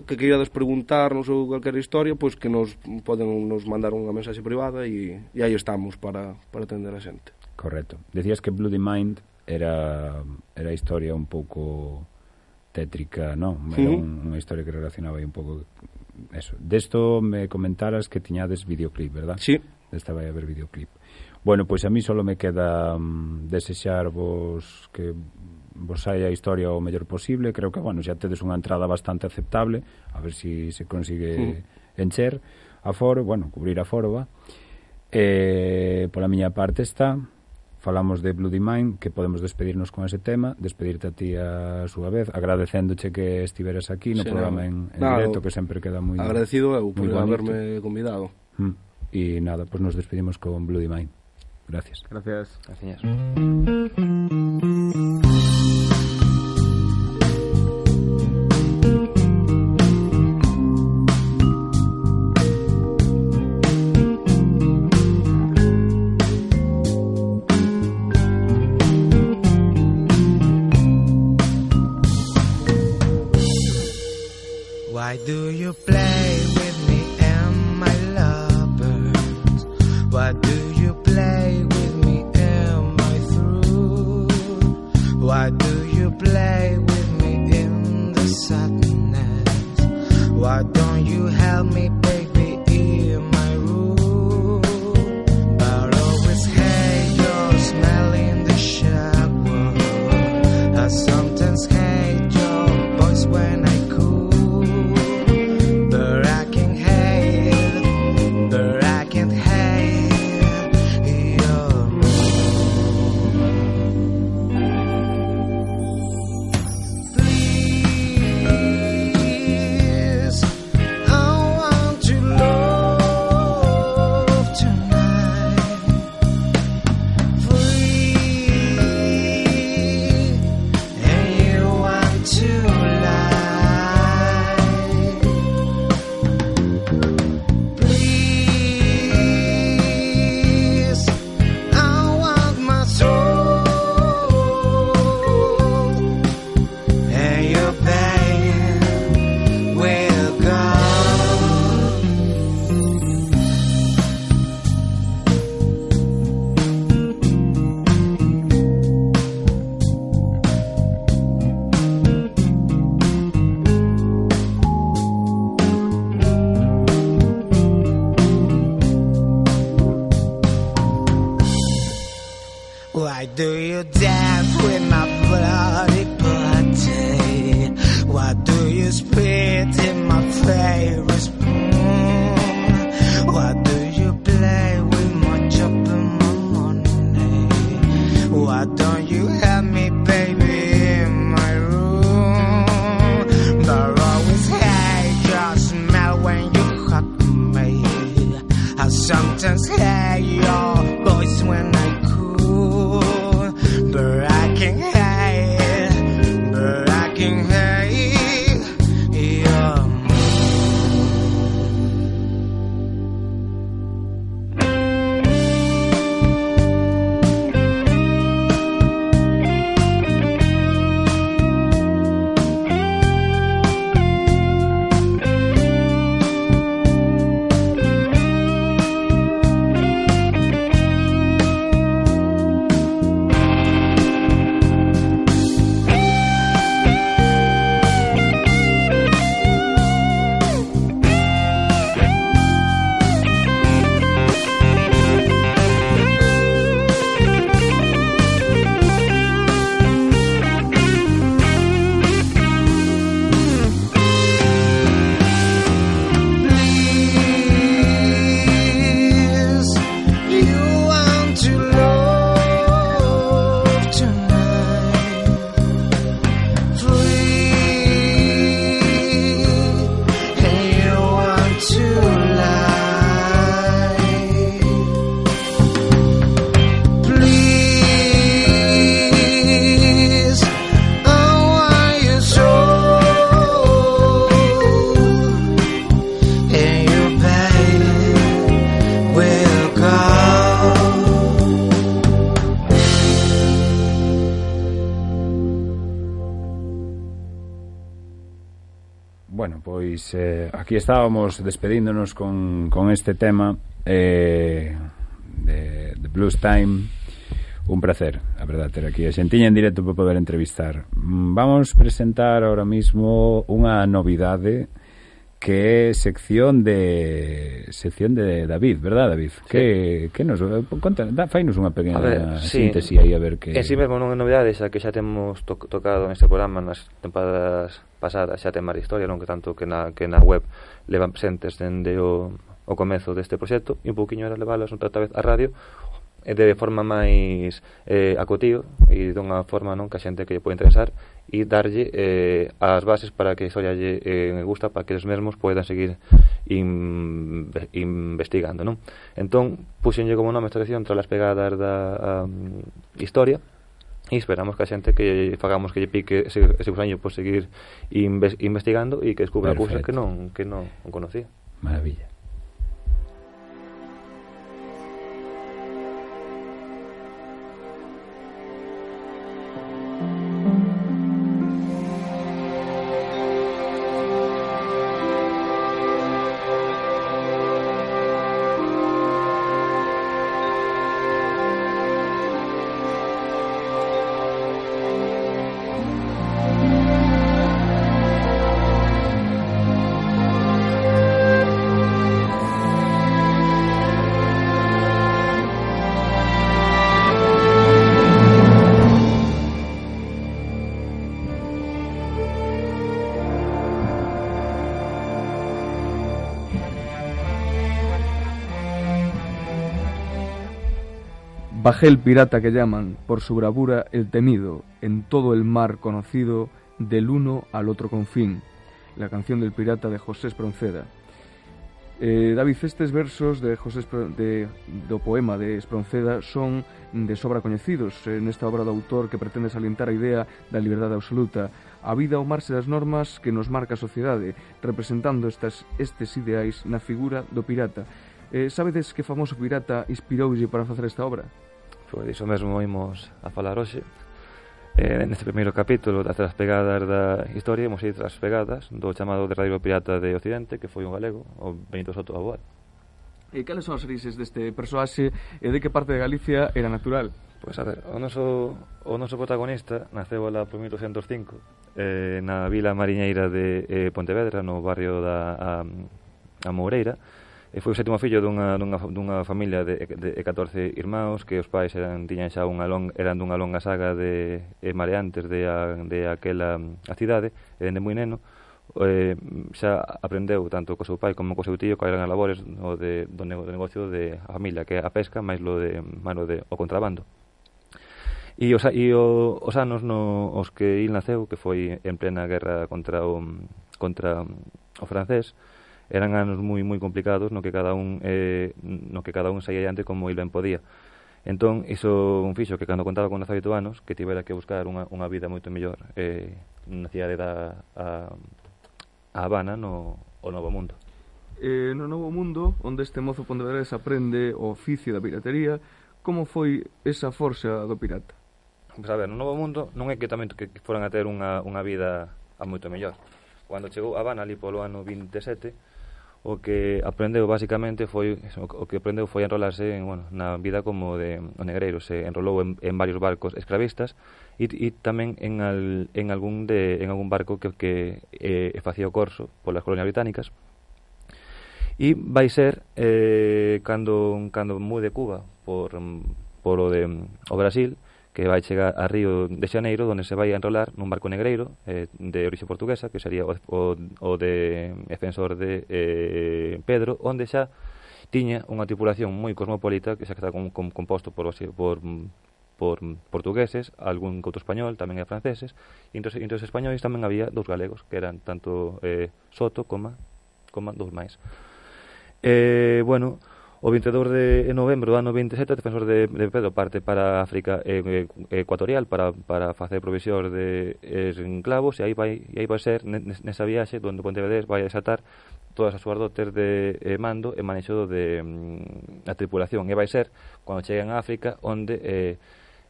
que queirades preguntarnos ou calquera historia, pois que nos poden nos mandar unha mensaxe privada e, e aí estamos para, para atender a xente. Correcto. Decías que Bloody Mind era era a historia un pouco tétrica, non? Era un, unha historia que relacionaba aí un pouco eso. Desto me comentaras que tiñades videoclip, verdad? Sí. Desta vai haber videoclip. Bueno, pois a mí solo me queda um, desexarvos que vos saia a historia o mellor posible. Creo que, bueno, xa tedes unha entrada bastante aceptable, a ver se si se consigue mm. encher a foro, bueno, cubrir a foro, va. Eh, pola miña parte está. falamos de Bloody Mind, que podemos despedirnos con ese tema, despedirte a ti a súa vez, agradecéndoche que estiveras aquí no sí, programa no. en, en no, directo, que sempre queda moi agradecido eu por haberme convidado. Mm. E nada, pues nos despedimos con Bloody Mind. Gracias. Gracias. Gracias. Why do you play with me and my lovers? Why do you play with me and my through? Why do you play with me in the sadness? Why don't you help me, baby, in my room? But always hate your smell in the shower. I sometimes hate your voice when I Why do you dance with my bloody body? Why do you spit in my favorite spoon? Why do you play with my job and my money? Why don't you help me, baby, in my room? But always hate your smell when you hug me. I sometimes hate your voice when I but I can hide, but I can hide your Bueno, pois eh, aquí estábamos despedíndonos con, con este tema eh, de, de Blues Time. Un placer, a verdade, ter aquí a xentiña en directo para poder entrevistar. Vamos presentar ahora mismo unha novidade que é sección de sección de David, verdad, David? Sí. Que, que nos conta, da, fainos unha pequena ver, síntese sí. aí a ver que... En si mesmo non é novidade, xa que xa temos to tocado neste programa nas tempadas pasadas, xa ten máis historia, non que tanto que na, que na web levan presentes dende o, o comezo deste proxecto, e un pouquiño era leválas outra vez a radio, de forma máis eh, acotío e dunha forma non que a xente que lle pode interesar e darlle eh, as bases para que a historia lle eh, gusta, para que eles mesmos podan seguir in, investigando, non? Entón, puxenlle como nome esta sección tras as pegadas da um, historia, e esperamos que a xente que fagamos que lle pique ese, ese gusaño por seguir inves, investigando e que descubra cousas que non, que non conocía. Maravilla. Bajel pirata que llaman, por su bravura el temido, en todo el mar conocido, del uno al otro confín. La canción del pirata de José Espronceda. Eh, David, estes versos de José Espro, de, do poema de Espronceda son de sobra coñecidos eh, nesta obra do autor que pretende salientar a idea da liberdade absoluta, a vida ao marxe das normas que nos marca a sociedade, representando estas, estes ideais na figura do pirata. Eh, sabedes que famoso pirata inspiroulle para facer esta obra? Pois iso mesmo imos a falar hoxe. Eh, neste primeiro capítulo das tras pegadas da historia imos ir tras pegadas do chamado derradeiro pirata de Occidente, que foi un galego, o Benito Soto Aboal. E cales son as orixes deste persoaxe e de que parte de Galicia era natural? Pois a ver, o noso, o noso protagonista naceu lá por mil oitocentos cinco eh, na vila mariñeira de eh, Pontevedra, no barrio da a, a Moureira. E foi o sétimo fillo dunha, dunha, dunha familia de, de, de catorce irmãos, que os pais eran, tiñan xa unha long, eran dunha longa saga de eh, mareantes de, a, de aquela a cidade, e dende moi neno eh, xa aprendeu tanto co seu pai como co seu tío que eran as labores o de, do, nego, do negocio de a familia, que é a pesca máis lo de, máis de o contrabando. E os, e o, os anos no, os que il naceu, que foi en plena guerra contra o, contra o francés, eran anos moi moi complicados no que cada un eh, no que cada un saía adiante como il ben podía. Entón, iso un fixo que cando contaba con dezaoito anos que tivera que buscar unha, unha vida moito mellor eh, na cidade da a, a Habana, no o Novo Mundo. Eh, no Novo Mundo, onde este mozo pontevedrés aprende o oficio da piratería, como foi esa forxa do pirata? Pois a ver, no Novo Mundo non é que tamén que foran a ter unha, unha vida a moito mellor. Cando chegou a Habana ali polo ano vinte e sete, o que aprendeu basicamente foi o que aprendeu foi enrolarse en, bueno, na vida como de o negreiro, se enrolou en, en varios barcos esclavistas e, e tamén en, al, en algún de en algún barco que, que eh, facía o corso polas colonias británicas. E vai ser eh, cando cando mude Cuba por por o de o Brasil, que vai chegar a Río de Xaneiro, onde se vai a enrolar nun barco negreiro eh, de orixe portuguesa, que sería o, o, o de defensor de eh, Pedro, onde xa tiña unha tripulación moi cosmopolita, que xa está con, con, composto por, por, por portugueses, algún outro español, tamén é franceses, e entre, entre os españoles tamén había dous galegos, que eran tanto eh, Soto como, como dous máis. Eh, bueno... O vinte e dous de novembro do ano vinte e sete, o defensor de, de Pedro parte para África eh, ecuatorial para, para facer provisión de esclavos, e aí vai, e aí vai ser nesa viaxe onde Pontevedrés vai desatar todas as súas dotes de eh, mando e manexo de mm, a tripulación, e vai ser cando cheguen a África onde eh,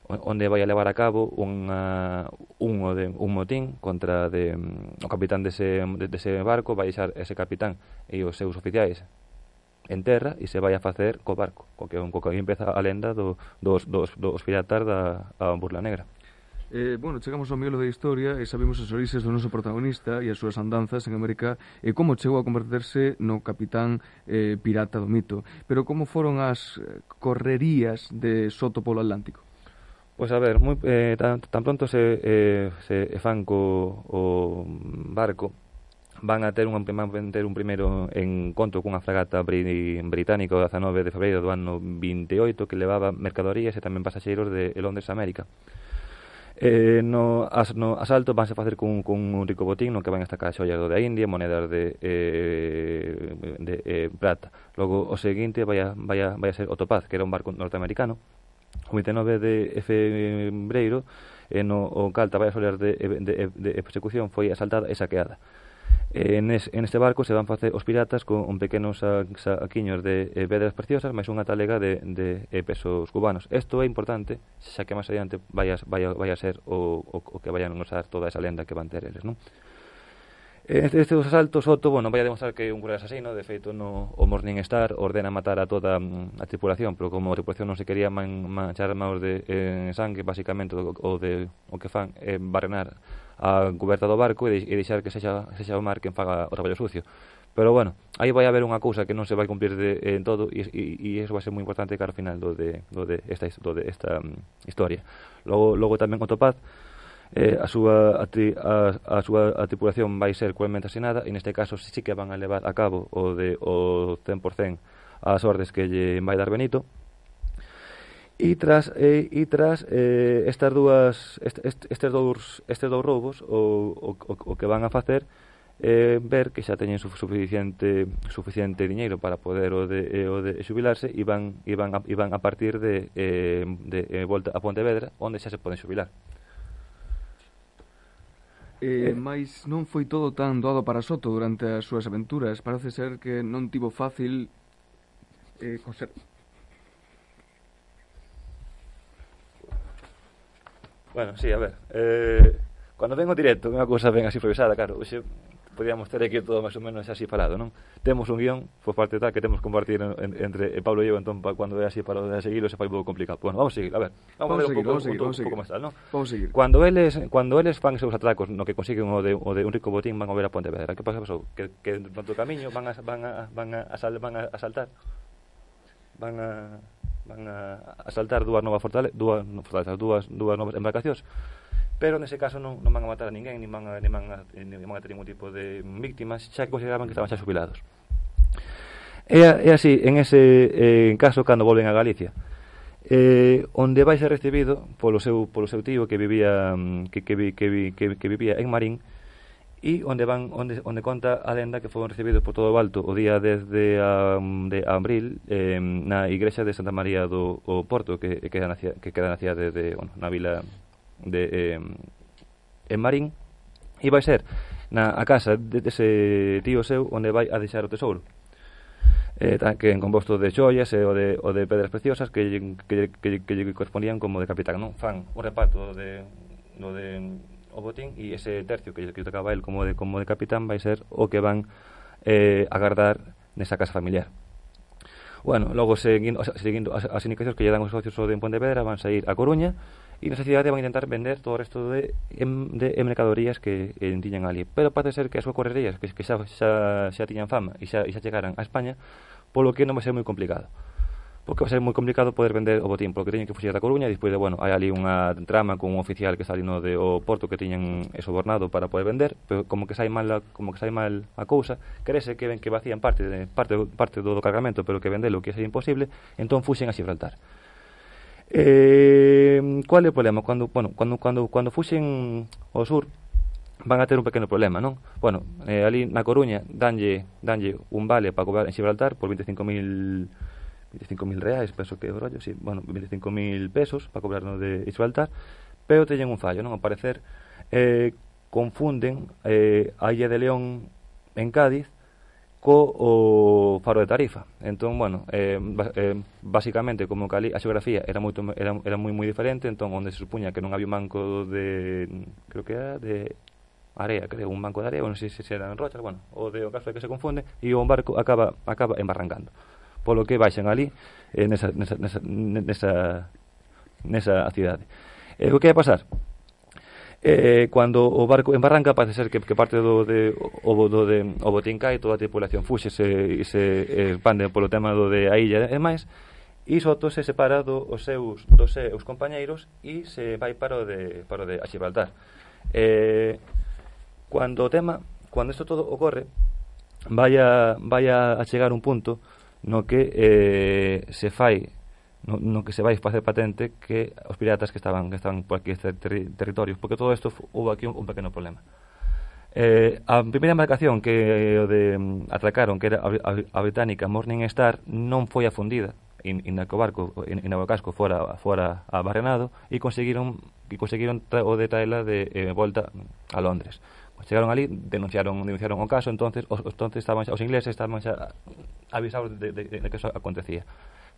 onde vai a levar a cabo unha, un, de, un motín contra de, um, o capitán dese, de, dese barco. Vai deixar ese capitán e os seus oficiais en terra e se vai a facer co barco, co que, co que aí empeza a lenda do, dos, dos, dos piratas da a Burla Negra. Eh, bueno, chegamos ao miolo da historia e sabemos as orixes do noso protagonista e as súas andanzas en América e como chegou a converterse no capitán eh, pirata do mito. Pero como foron as correrías de Soto polo Atlántico? Pois a ver, moi, eh, tan, tan pronto se, eh, se fan co o barco van a ter un, van a ter un primeiro encontro cunha fragata bri, británica o dezanove de febreiro do ano vinte e oito que levaba mercadorías e tamén pasaxeiros de Londres a América. Eh, no, as, no asalto vanse facer cun, cun un rico botín no que van a estacar xollas do da India, monedas de, eh, de eh, prata. Logo o seguinte vai a, vai, a, vai a ser o Topaz, que era un barco norteamericano. O vinte e nove de febreiro eh, no o Calta vai a xollas de, de, de, de persecución foi asaltada e saqueada. En, es, en este barco se van facer os piratas con un pequenos saquiños de eh, pedras preciosas máis unha talega de, de eh, pesos cubanos. Isto é importante, xa que máis adiante vai a, vai a, vai a ser o, o, o que vayan a usar toda esa lenda que van ter eles, non? Este, estes asaltos, Soto, bueno, vai a demostrar que é un cruel asasino. De feito, no, o Morning Star ordena matar a toda a tripulación, pero como a tripulación non se quería man, manchar maus de eh, sangue, basicamente o, o, de, o que fan é eh, barrenar a coberta do barco e, de, e deixar que sexa, sexa o mar quen faga o traballo sucio. Pero bueno, aí vai haber unha cousa que non se vai cumplir de, en todo e, e, e eso vai ser moi importante cara ao final do de, do de esta, do de esta um, historia. Logo, logo tamén o Topaz, eh, a súa a, a, a súa a tripulación vai ser cruelmente asesinada e neste caso sí que van a levar a cabo o de o cen por cen as ordes que lle vai dar Benito. E tras eh, e tras eh, estas dúas est, est, estes dous estes dous roubos o, o, o que van a facer eh, ver que xa teñen suficiente suficiente diñeiro para poder o de eh, o de xubilarse e van e van a, e van a partir de eh, de eh, volta a Pontevedra, onde xa se poden xubilar. Eh, mais non foi todo tan doado para Soto durante as súas aventuras. Parece ser que non tivo fácil eh, conser... Bueno, sí, a ver, eh, cando vengo directo, unha cousa ben así improvisada, claro, hoxe podíamos ter aquí todo máis ou menos así falado, non? Temos un guión, por parte tal, que temos que compartir en, en, entre Pablo e eu, entón, pa, cando é así para seguirlo, se fai un pouco complicado. Bueno, vamos a seguir, a ver, vamos, vamos a ver seguir, un pouco, seguir, un, un, un pouco máis tal, non? Vamos a seguir. Cando eles, cando eles fan seus atracos, no que consiguen o de, o de un rico botín, van a ver a Pontevedra. Que pasa, pasou? Que, que no todo camiño van a, van a, van a, asal, van a asaltar, van a, van a asaltar dúas novas fortalezas, dúas, no, fortalezas, dúas, dúas novas embarcacións. Pero nese caso non, non van a matar a ninguén, nin van a, nin van a, nin van a ter ningún tipo de víctimas, xa que consideraban que estaban xa xubilados. É, é así, en ese eh, caso, cando volven a Galicia, eh, onde vai ser recibido polo seu, polo seu tío que vivía que, que, que, que, que vivía en Marín, e onde van onde, onde conta a lenda que foron recibidos por todo o Alto o día desde a, de abril eh, na igrexa de Santa María do o Porto, que, que, queda na, que queda na cidade de, bueno, na vila de eh, en Marín, e vai ser na a casa de, de ese tío seu onde vai a deixar o tesouro, eh, que en composto de xoias e o de, o de pedras preciosas que que, que, que lle correspondían como de capitán, non? Fan un reparto de, do de o botín e ese tercio que lle tocaba a él como de, como de capitán vai ser o que van eh, a guardar nesa casa familiar. Bueno, logo seguindo, seguindo as, as indicacións que lle dan os socios de Pontevedra, van sair a Coruña e nesa cidade van a intentar vender todo o resto de, de, de mercadorías que eh, tiñan ali. Pero parece ser que as súas correrías que, que xa, xa, xa tiñan fama e xa, e xa chegaran a España, polo que non vai ser moi complicado. Porque vai ser moi complicado poder vender o botín, porque teñen que fuxir da Coruña e despois de, bueno, hai ali unha trama con un oficial que está ali no de o Porto que tiñan sobornado para poder vender, pero como que sai mal a, como que sai mal a cousa, crese que ven que vacían parte de, parte, parte do, do cargamento, pero que vendelo que é imposible, entón fuxen a Gibraltar. Eh, cual é o problema? Cando, bueno, cando, cando, cando fuxen ao sur van a ter un pequeno problema, non? Bueno, eh, ali na Coruña danlle, danlle un vale para cobrar en Gibraltar por veinticinco mil reais, penso que é o rollo, sí, bueno, veinticinco mil pesos para cobrar no de Gibraltar, pero teñen un fallo, non? Ao parecer eh, confunden eh, a Illa de León en Cádiz co o Faro de Tarifa. Entón, bueno, eh, eh, basicamente como que ali a xeografía era moito era, era moi moi diferente, entón onde se supuña que non había un banco de, creo que era de area, creo, un banco de area, non sei se era en rochas, bueno, o de o caso é que se confunde e o barco acaba acaba embarrancando. Polo que baixan ali eh, nesa, nesa, nesa, nesa, nesa cidade. Eh, o que vai pasar? Eh, cando o barco embarranca parece ser que, que parte do, de, o, do de, o botín cae, toda a tripulación fuxe se, e se expande polo tema do de a illa e máis, e Soto se separa do, os seus, dos seus compañeiros e se vai para o de, para o de a Gibraltar. Eh, cando o tema cuando isto todo ocorre, vai a, vai a chegar un punto no que eh, se fai no, no que se vai facer patente que os piratas que estaban que estaban por aquí este terri territorios, porque todo isto houve aquí un, un pequeno problema. Eh, a primeira embarcación que o de atracaron, que era a, a, a británica Morning Star, non foi afundida, inda que o barco, inda o casco fora, fora abarrenado, e conseguiron, e conseguiron tra, o de traela de eh, volta a Londres. Chegaron ali, denunciaron, denunciaron o caso, entonces os, entonces estaban xa, os ingleses estaban xa avisados de, de, de, de que eso acontecía.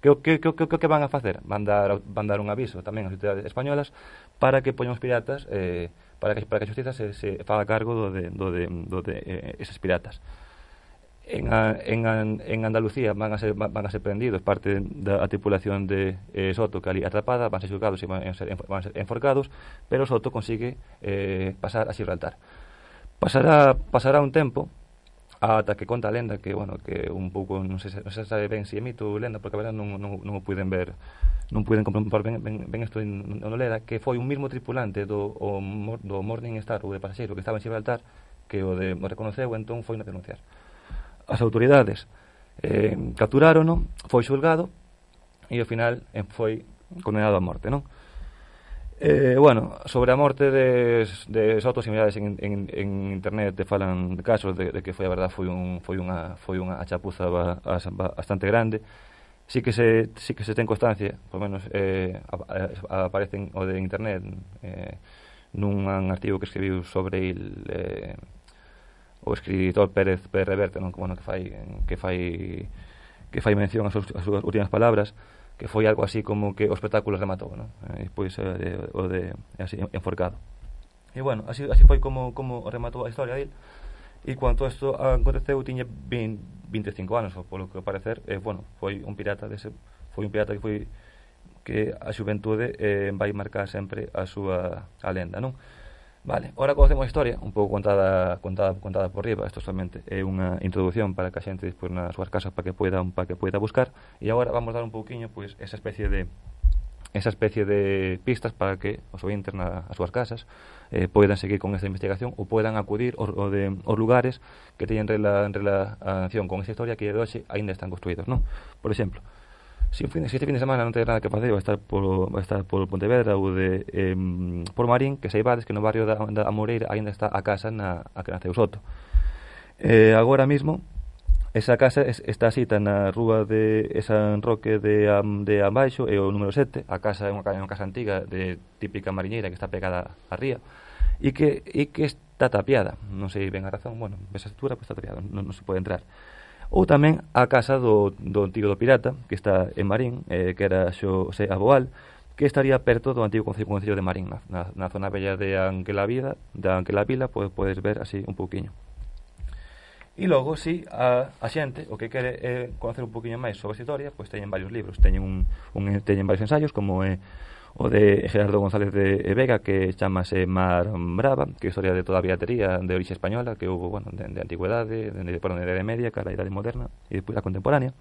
Que que que que que van a facer? Van dar van dar un aviso tamén ás autoridades españolas para que poñan os piratas, eh, para que para que a xustiza se se faga cargo do de do de do de eh, eses piratas. En, a, en, a, en Andalucía van a ser van a ser prendidos parte da tripulación de eh, Soto, que ali atrapada, van a ser xulgados e van a ser, van a ser enforcados, pero Soto consigue eh, pasar a Gibraltar. Pasará pasará un tempo ata que conta a lenda que, bueno, que un pouco non sei se non se sabe ben se si é mito ou lenda, porque a verdade non non non o puiden ver, non puiden comprobar ben ben, ben isto non lera, que foi un mismo tripulante do o, do Morning Star ou de pasaxeiro que estaba en Gibraltar que o de o reconoceu, entón foi a denunciar. As autoridades eh, capturárono, foi xulgado e ao final eh, foi condenado a morte, non? Eh, bueno, sobre a morte de, de Soto, similares en, en, en internet te falan de casos de, de que foi a verdade foi un foi unha foi unha chapuza ba, ba, bastante grande. Sí que se sí que se ten constancia, por menos eh, aparecen o de internet eh, nun artigo que escribiu sobre el eh, o escritor Pérez Pérez Reverte, non, bueno, que fai que fai que fai mención ás súas, súas últimas palabras, que foi algo así como que o espectáculo rematou, non? E pois eh, o de así enforcado. E bueno, así así foi como como rematou a historia dele. E cuando isto aconteceu tiña vinte e cinco anos, polo que parecer, eh, bueno, foi un pirata dese, foi un pirata que foi que a xuventude eh, vai marcar sempre a súa a lenda, non? Vale, ahora conocemos a historia, un pouco contada contada contada por riba. Isto solamente é unha introducción para que a xente despois nas súas casas para que poida para que poida buscar, e agora vamos dar un pouquiño pois esa especie de esa especie de pistas para que os ointes nas súas casas eh, poidan seguir con esta investigación ou poidan acudir aos, ao de, aos lugares que teñen rela, en relación con esta historia que de hoxe aínda están construídos, non? Por exemplo, Si, un fin, si este fin de semana non ten nada que facer, vai estar por, vai estar por Pontevedra ou de eh, por Marín, que saibades que no barrio da, da Amoreira aínda está a casa na a que naceu Soto. Eh, agora mismo esa casa es, está asita na rúa de San Roque de de Ambaixo, é o número sete. A casa é unha, unha casa antiga de típica mariñeira que está pegada á ría e que e que está tapiada. Non sei ben a razón, bueno, esa estrutura pues está tapiada, non, non se pode entrar. Ou tamén a casa do, do antigo do pirata, que está en Marín, eh, que era Xosé Aboal, que estaría perto do antigo concello de Marín, na, na zona bella de Anquela Vida, de Anquela Vila, podes, podes ver así un pouquiño. E logo, si, a, a xente, o que quere é conocer un pouquiño máis sobre a historia, pois teñen varios libros, teñen, un, un, teñen varios ensaios, como é o de Gerardo González de Vega, que chamase Mar Brava, que é historia de toda a piratería de orixe española que houve, bueno, de, de antigüedade, de, de, perdón, de Idade Media, cara a Idade Moderna e depois a contemporánea.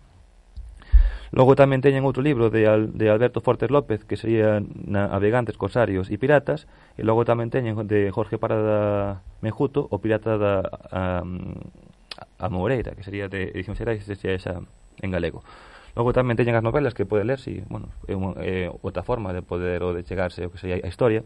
Logo tamén teñen outro libro de, Al, de Alberto Fortes López, que sería Navegantes, Corsarios e Piratas, e logo tamén teñen de Jorge Parada Menjuto, o Pirata da a, a Moreira, que sería de edición xerais, sería esa en galego. Logo tamén teñen as novelas que pode ler, si, bueno, é, unha, é outra forma de poder ou de chegarse o que sería a historia,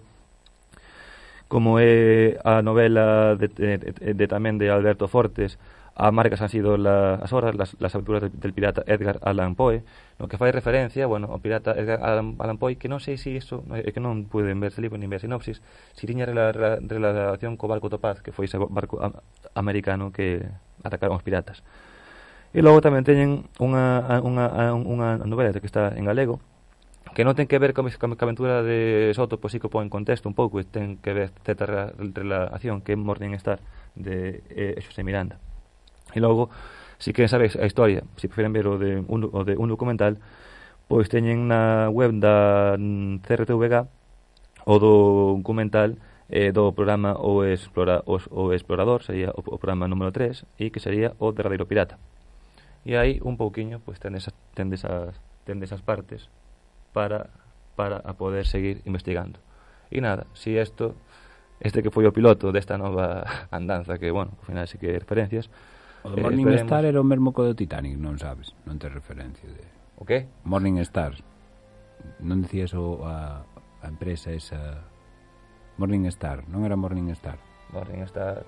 como é a novela de, de, de, de tamén de Alberto Fortes, a marcas han sido la, as horas, las, las aventuras del pirata Edgar Allan Poe, no que fai referencia, bueno, ao pirata Edgar Allan, Allan Poe, que non sei se iso, é que non pueden ver ese libro, nin ver a sinopsis, si tiña rela, rela, relación co barco Topaz, que foi ese barco a, americano que atacaron os piratas. E logo tamén teñen unha, unha, unha novela que está en galego, que non ten que ver con a aventura de Soto, pois sí que pon en contexto un pouco, e ten que ver certa relación que é Morning Star de eh, Xosé Miranda. E logo, se si queren saber a historia, se si preferen ver o de un, o de un documental, pois teñen na web da C R T V G o do documental eh, do programa O, Explora, o, o Explorador, sería o, o programa número tres, e que sería o Derradeiro Pirata. E aí un pouquiño pois ten esas ten desas ten desas partes para para a poder seguir investigando. E nada, si isto este que foi o piloto desta nova andanza, que, bueno, ao final sí que referencias. O do Morning eh, Star era o mesmo co do Titanic, non sabes? Non te referencia de... O que? Morning Star. Non dicías o, a, a empresa esa... Morning Star, non era Morning Star? Morning Star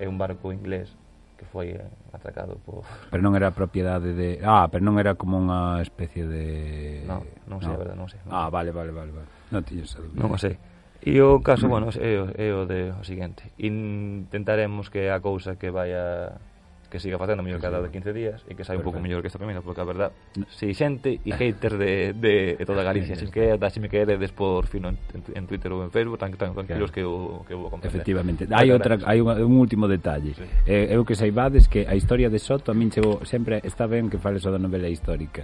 é un barco inglés que foi atracado por... Pero non era propiedade de... Ah, pero non era como unha especie de... Non, non sei, no. A verdade, non sei. Non ah, sei. vale, vale, vale, vale. Non tiño esa dúbida. Non o sei. E o caso, bueno, é o, é o de o seguinte. Intentaremos que a cousa que vaya... que siga facendo mellor cada de quince días e que saia un pouco mellor que esta primeira, porque a verdad, si xente e haters de, de, de toda Galicia, se que da, se me queredes por fino en, en Twitter ou en Facebook, tan, tan tranquilos claro. que eu, que eu vou comprender. Efectivamente. Hai outra, hai un, un último detalle. Sí. Eh, eu que saibades que a historia de Soto a min chegou, sempre está ben que fales o da novela histórica.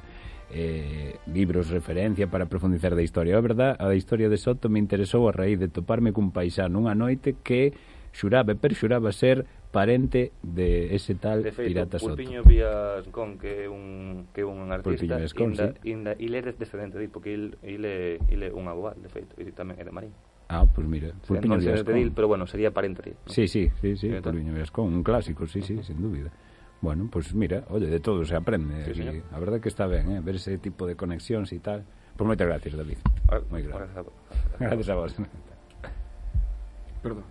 Eh, libros referencia para profundizar da historia. A verdad, a da historia de Soto me interesou a raíz de toparme cun paisano unha noite que xuraba e perxuraba ser parente de ese tal de feito, Pirata Soto. Pulpiño Vías Con, que é un que é un artista, Escon, inda, sí. inda, il é descendente de, porque il, il, é, il é un abogado, de feito, e tamén é de Marín. Ah, pois pues mira, Pulpiño Vías Con. Pero bueno, sería parente de. ¿no? Sí, sí, sí, sí, Pulpiño Vías Con, un clásico, sí, sí, sin dúbida. Bueno, pues mira, oye, de todo se aprende. Sí, y a verdad que está ben, eh, ver ese tipo de conexións e tal. Pues moitas gracias, David. Ah, moi gracias. Gracias a vos. Perdón.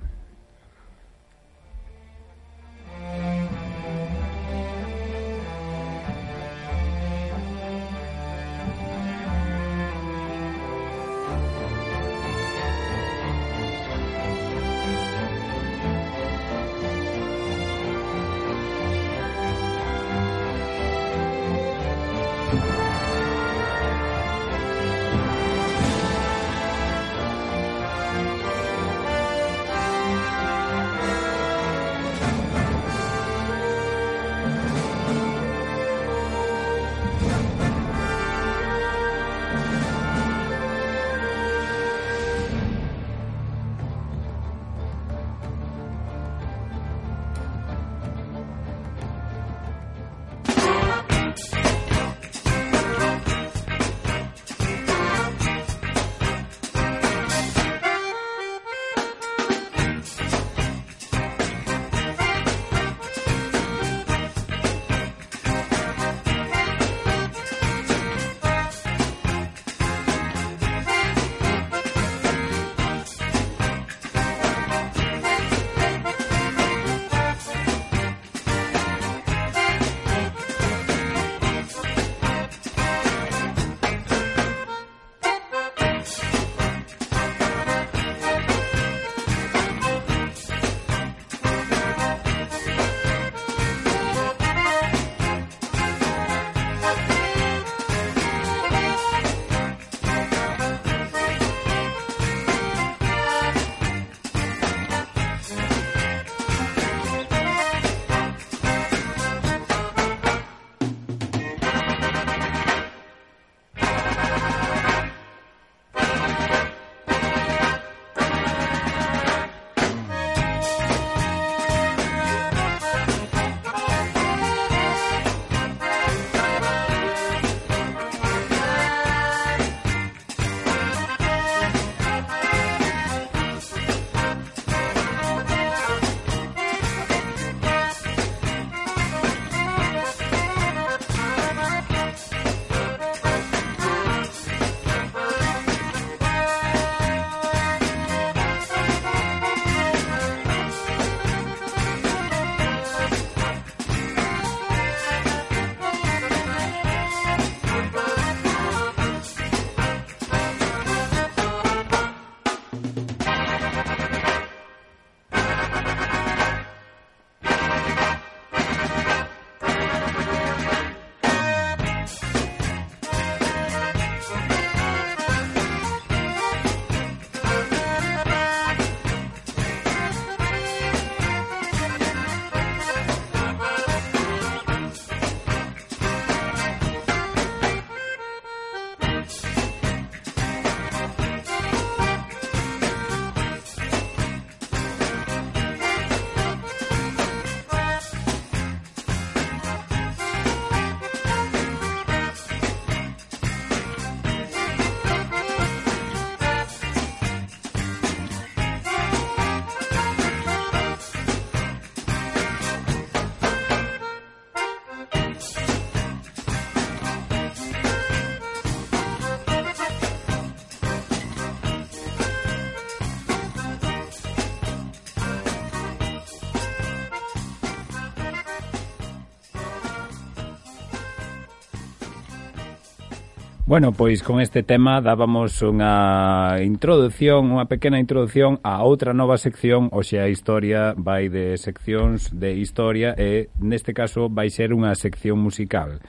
Bueno, pois con este tema dábamos unha introdución, unha pequena introducción a outra nova sección, hoxe a historia vai de seccións de historia e neste caso vai ser unha sección musical.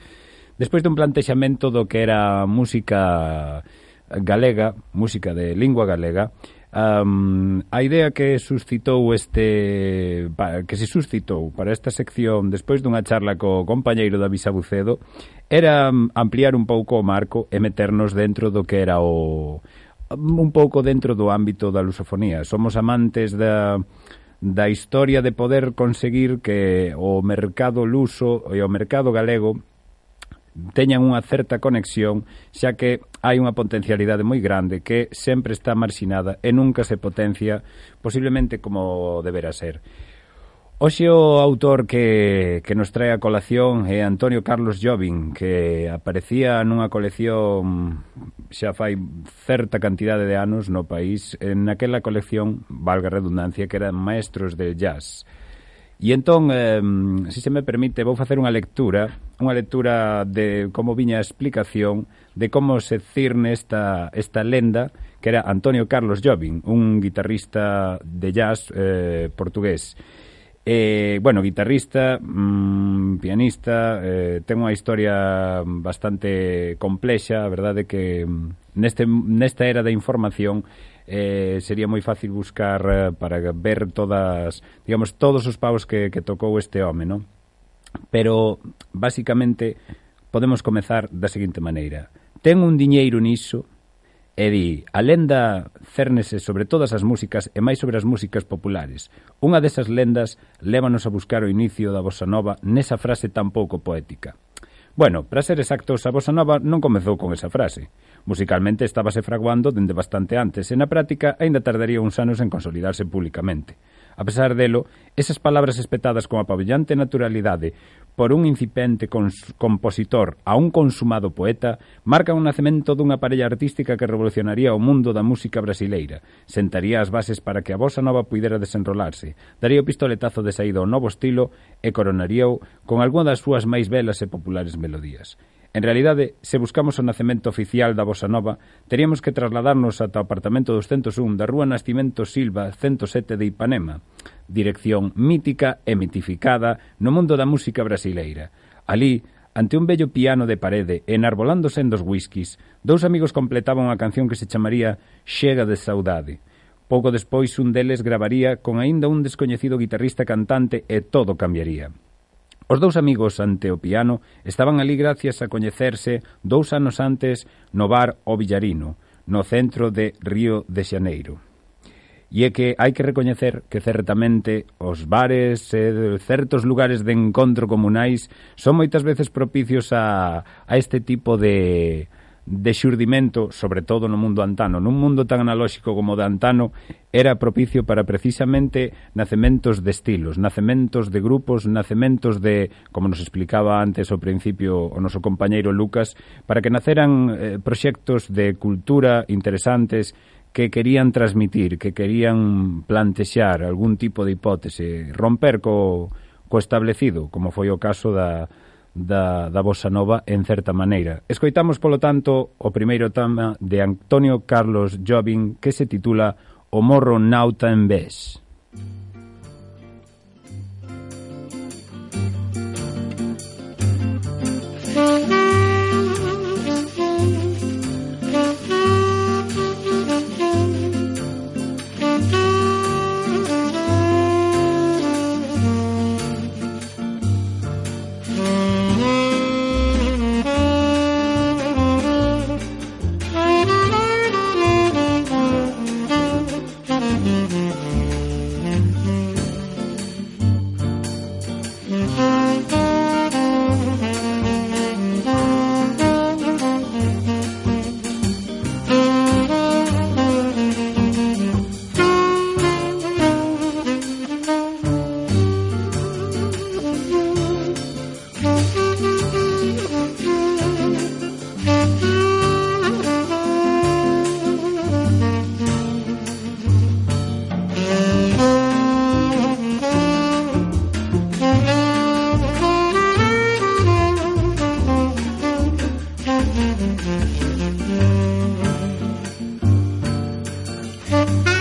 Despois dun plantexamento do que era música galega, música de lingua galega, Um, a idea que suscitou este que se suscitou para esta sección despois dunha charla co compañeiro David Sabucedo era ampliar un pouco o marco e meternos dentro do que era o un pouco dentro do ámbito da lusofonía. Somos amantes da da historia de poder conseguir que o mercado luso e o mercado galego teñan unha certa conexión, xa que hai unha potencialidade moi grande que sempre está marxinada e nunca se potencia posiblemente como deberá ser. Hoxe o autor que, que nos trae a colación é Antonio Carlos Jobim, que aparecía nunha colección xa fai certa cantidade de anos no país, en aquela colección, valga a redundancia, que eran maestros del jazz. E entón, eh, se se me permite, vou facer unha lectura, unha lectura de como viña a explicación de como se cirne esta, esta lenda, que era Antonio Carlos Jobim, un guitarrista de jazz eh, portugués. Eh, bueno, guitarrista, mmm, pianista, eh, ten unha historia bastante complexa, a verdade que neste, nesta era da información eh, sería moi fácil buscar eh, para ver todas, digamos, todos os paus que, que tocou este home, non? Pero, basicamente, podemos comezar da seguinte maneira. Ten un diñeiro niso e di, a lenda cérnese sobre todas as músicas e máis sobre as músicas populares. Unha desas lendas lévanos a buscar o inicio da bossa nova nesa frase tan pouco poética. Bueno, para ser exactos, a bossa nova non comezou con esa frase. Musicalmente estábase fraguando dende bastante antes e na práctica aínda tardaría uns anos en consolidarse públicamente. A pesar delo, esas palabras espetadas con apabillante naturalidade por un incipiente compositor a un consumado poeta marcan o nacemento dunha parella artística que revolucionaría o mundo da música brasileira, sentaría as bases para que a bossa nova puidera desenrolarse, daría o pistoletazo de saída ao novo estilo e coronaríao con algunha das súas máis belas e populares melodías. En realidade, se buscamos o nacemento oficial da bossa nova, teríamos que trasladarnos ata o apartamento doscientos un da Rúa Nascimento Silva ciento sete de Ipanema, dirección mítica e mitificada no mundo da música brasileira. Ali, ante un bello piano de parede, enarbolándose en dos whiskies, dous amigos completaban unha canción que se chamaría Chega de Saudade. Pouco despois, un deles gravaría con aínda un descoñecido guitarrista cantante e todo cambiaría. Os dous amigos ante o piano estaban ali gracias a coñecerse dous anos antes no bar O Villarino, no centro de Río de Xaneiro. E é que hai que recoñecer que certamente os bares e certos lugares de encontro comunais son moitas veces propicios a, a este tipo de, de xurdimento, sobre todo no mundo antano. Nun mundo tan analóxico como o de antano, era propicio para precisamente nacementos de estilos, nacementos de grupos, nacementos de, como nos explicaba antes ao principio o noso compañeiro Lucas, para que naceran eh, proxectos de cultura interesantes que querían transmitir, que querían plantexar algún tipo de hipótese, romper co, co establecido, como foi o caso da, da, da bossa nova en certa maneira. Escoitamos, polo tanto, o primeiro tema de Antonio Carlos Jobim que se titula O Morro Nauta en Vez. Thank you.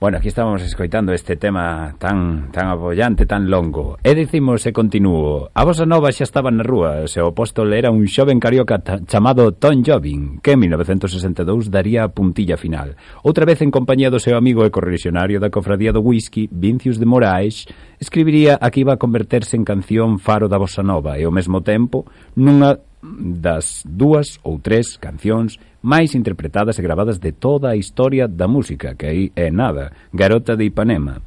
Bueno, aquí estábamos escoitando este tema tan tan apoiante, tan longo. E dicimos e continuo, a bossa nova xa estaba na rúa, se o apóstol era un xoven carioca chamado Tom Jobim, que en mil novecentos sesenta e dous daría a puntilla final. Outra vez en compañía do seu amigo e correligionario da cofradía do whisky, Vincius de Moraes, escribiría a que iba a converterse en canción faro da bossa nova e ao mesmo tempo nunha das dúas ou tres cancións máis interpretadas e gravadas de toda a historia da música, que aí é nada, Garota de Ipanema.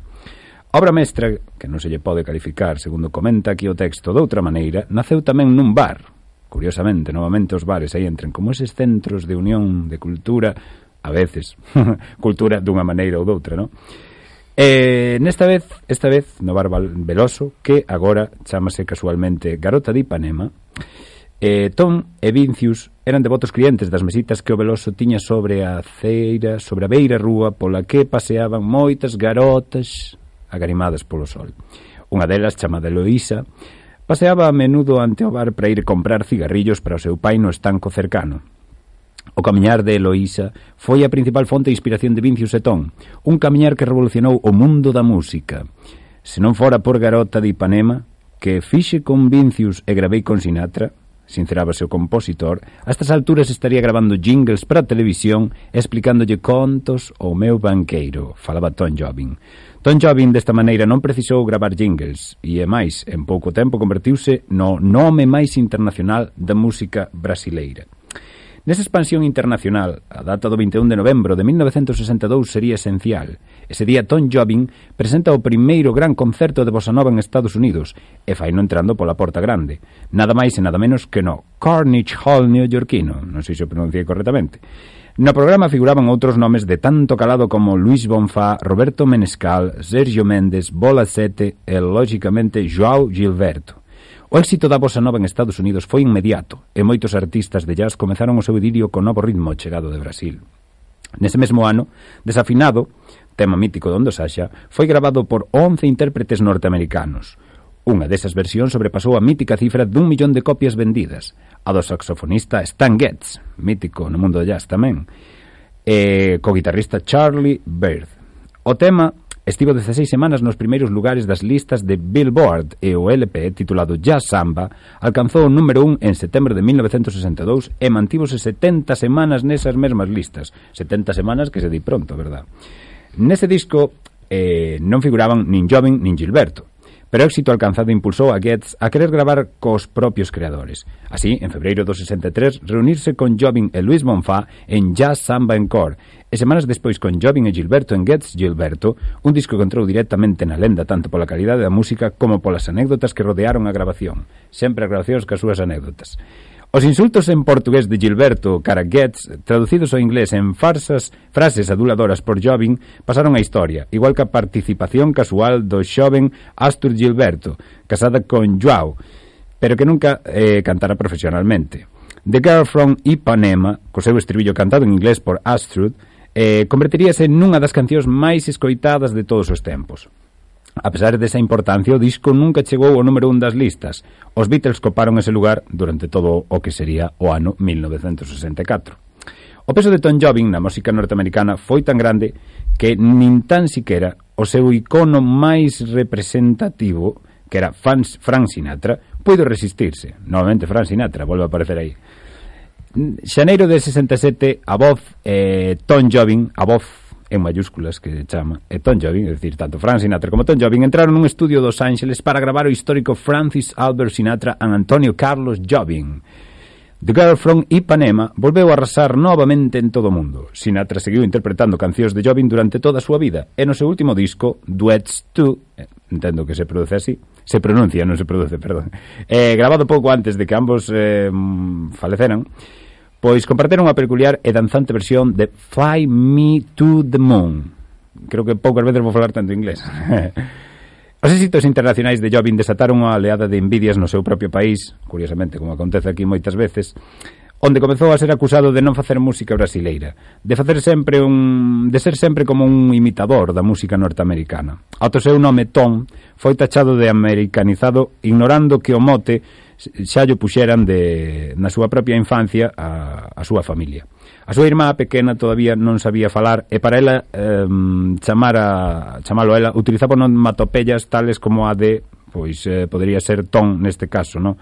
Obra mestra, que non se lle pode calificar, segundo comenta aquí o texto, de outra maneira, naceu tamén nun bar. Curiosamente, novamente os bares aí entren como eses centros de unión de cultura, a veces, cultura dunha maneira ou doutra, non? E nesta vez, esta vez, no bar Veloso, que agora chamase casualmente Garota de Ipanema, Eh, Tom e Vincius eran devotos clientes das mesitas que o Veloso tiña sobre a ceira, sobre a beira rúa pola que paseaban moitas garotas agarimadas polo sol. Unha delas, chamada Eloísa, paseaba a menudo ante o bar para ir comprar cigarrillos para o seu pai no estanco cercano. O camiñar de Eloísa foi a principal fonte de inspiración de Vincius e Tom, un camiñar que revolucionou o mundo da música. Se non fora por Garota de Ipanema, que fixe con Vincius e gravei con Sinatra, sincerábase o compositor, a estas alturas estaría gravando jingles para a televisión e explicándolle contos ao meu banqueiro, falaba Tom Jobim. Tom Jobim desta maneira non precisou gravar jingles e, é máis, en pouco tempo convertiuse no nome máis internacional da música brasileira. Nesa expansión internacional, a data do vinte e un de novembro de mil novecentos sesenta e dous sería esencial. Ese día Tom Jobim presenta o primeiro gran concerto de bossa nova en Estados Unidos e faino entrando pola porta grande. Nada máis e nada menos que no Carnegie Hall neoyorquino, non sei se o pronunciei correctamente. No programa figuraban outros nomes de tanto calado como Luis Bonfá, Roberto Menescal, Sergio Méndez, Bola Sete e, lógicamente, João Gilberto. O éxito da bossa nova en Estados Unidos foi inmediato e moitos artistas de jazz comezaron o seu idilio con novo ritmo chegado de Brasil. Nese mesmo ano, Desafinado, tema mítico de Hondo Saxa, foi gravado por once intérpretes norteamericanos. Unha desas versións sobrepasou a mítica cifra dun millón de copias vendidas. A do saxofonista Stan Getz, mítico no mundo do jazz tamén, e co guitarrista Charlie Byrd. O tema estivo dezaseis semanas nos primeiros lugares das listas de Billboard e o L P titulado Jazz Samba alcanzou o número un en setembro de mil novecentos sesenta e dous e mantívose setenta semanas nesas mesmas listas. setenta semanas que se di pronto, verdad? Nese disco eh, non figuraban nin Jobim nin Gilberto, pero o éxito alcanzado impulsou a Getz a querer gravar cos propios creadores. Así, en febreiro do sesenta e tres, reunirse con Jobim e Luis Bonfá en Jazz Samba Encore, e semanas despois con Jobim e Gilberto en Getz Gilberto, un disco que entrou directamente na lenda tanto pola calidade da música como polas anécdotas que rodearon a grabación. Sempre as grabacións cas súas anécdotas. Os insultos en portugués de Gilberto cara Getz, traducidos ao inglés en farsas frases aduladoras por Jobim, pasaron a historia, igual que a participación casual do xoven Astor Gilberto, casada con João, pero que nunca eh, cantara profesionalmente. The Girl from Ipanema, co seu estribillo cantado en inglés por Astor, eh, convertiríase nunha das cancións máis escoitadas de todos os tempos. A pesar desa importancia, o disco nunca chegou ao número un das listas. Os Beatles coparon ese lugar durante todo o que sería o ano mil novecentos sesenta e catro. O peso de Tom Jobim na música norteamericana foi tan grande que nin tan siquera o seu icono máis representativo, que era Frank Sinatra, puido resistirse. Novamente Frank Sinatra, volve a aparecer aí. Xaneiro de sesenta e sete, a voz eh, Tom Jobim, a voz en mayúsculas que chama, e Tom Jobim, é dicir, tanto Frank Sinatra como Tom Jobim entraron nun estudio dos Ángeles para gravar o histórico Francis Albert Sinatra and Antonio Carlos Jobim. The Girl from Ipanema volveu a arrasar novamente en todo o mundo. Sinatra seguiu interpretando cancións de Jobim durante toda a súa vida, e no seu último disco, Duets two, eh, entendo que se produce así, se pronuncia, non se produce, perdón, eh, grabado pouco antes de que ambos eh, faleceran, pois comparteron unha peculiar e danzante versión de Fly Me to the Moon. Creo que poucas veces vou falar tanto inglés. Os éxitos internacionais de Jobim desataron unha oleada de envidias no seu propio país, curiosamente, como acontece aquí moitas veces, onde comezou a ser acusado de non facer música brasileira, de facer sempre un, de ser sempre como un imitador da música norteamericana. Ao seu nome Tom foi tachado de americanizado, ignorando que o mote xa llo puxeran de, na súa propia infancia a, a súa familia. A súa irmá pequena todavía non sabía falar e para ela eh, chamar a, chamalo a ela utilizaba onomatopeyas tales como a de, pois eh, podería ser Tom neste caso, non?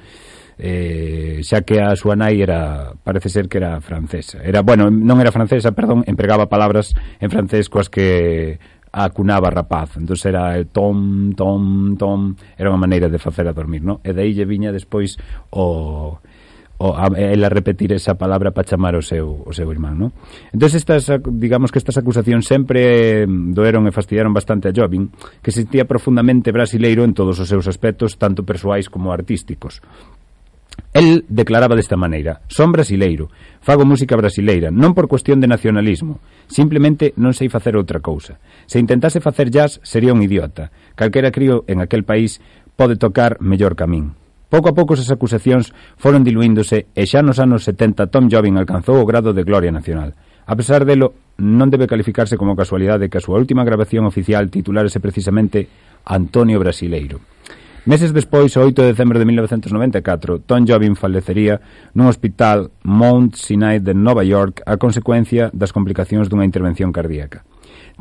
Eh, xa que a súa nai era, parece ser que era francesa, era, bueno, non era francesa, perdón, empregaba palabras en francés coas que acunaba rapaz, entón era el tom, tom, tom, era unha maneira de facer a dormir, non? E daí lle viña despois o, o a, ela repetir esa palabra para chamar o seu, o seu irmán, non? Entón estas, digamos que estas acusacións sempre doeron e fastidiaron bastante a Jobim, que se sentía profundamente brasileiro en todos os seus aspectos, tanto persoais como artísticos. El declaraba desta maneira: son brasileiro, fago música brasileira, non por cuestión de nacionalismo, simplemente non sei facer outra cousa. Se intentase facer jazz, sería un idiota. Calquera crío en aquel país pode tocar mellor que a min. Pouco a pouco esas acusacións foron diluíndose e xa nos anos setenta Tom Jobim alcanzou o grado de gloria nacional. A pesar delo, non debe calificarse como casualidade que a súa última grabación oficial titulárese precisamente Antonio Brasileiro. Meses despois, o oito de decembro de mil novecentos noventa e catro, Tom Jobim falecería nun hospital Mount Sinai de Nova York a consecuencia das complicacións dunha intervención cardíaca.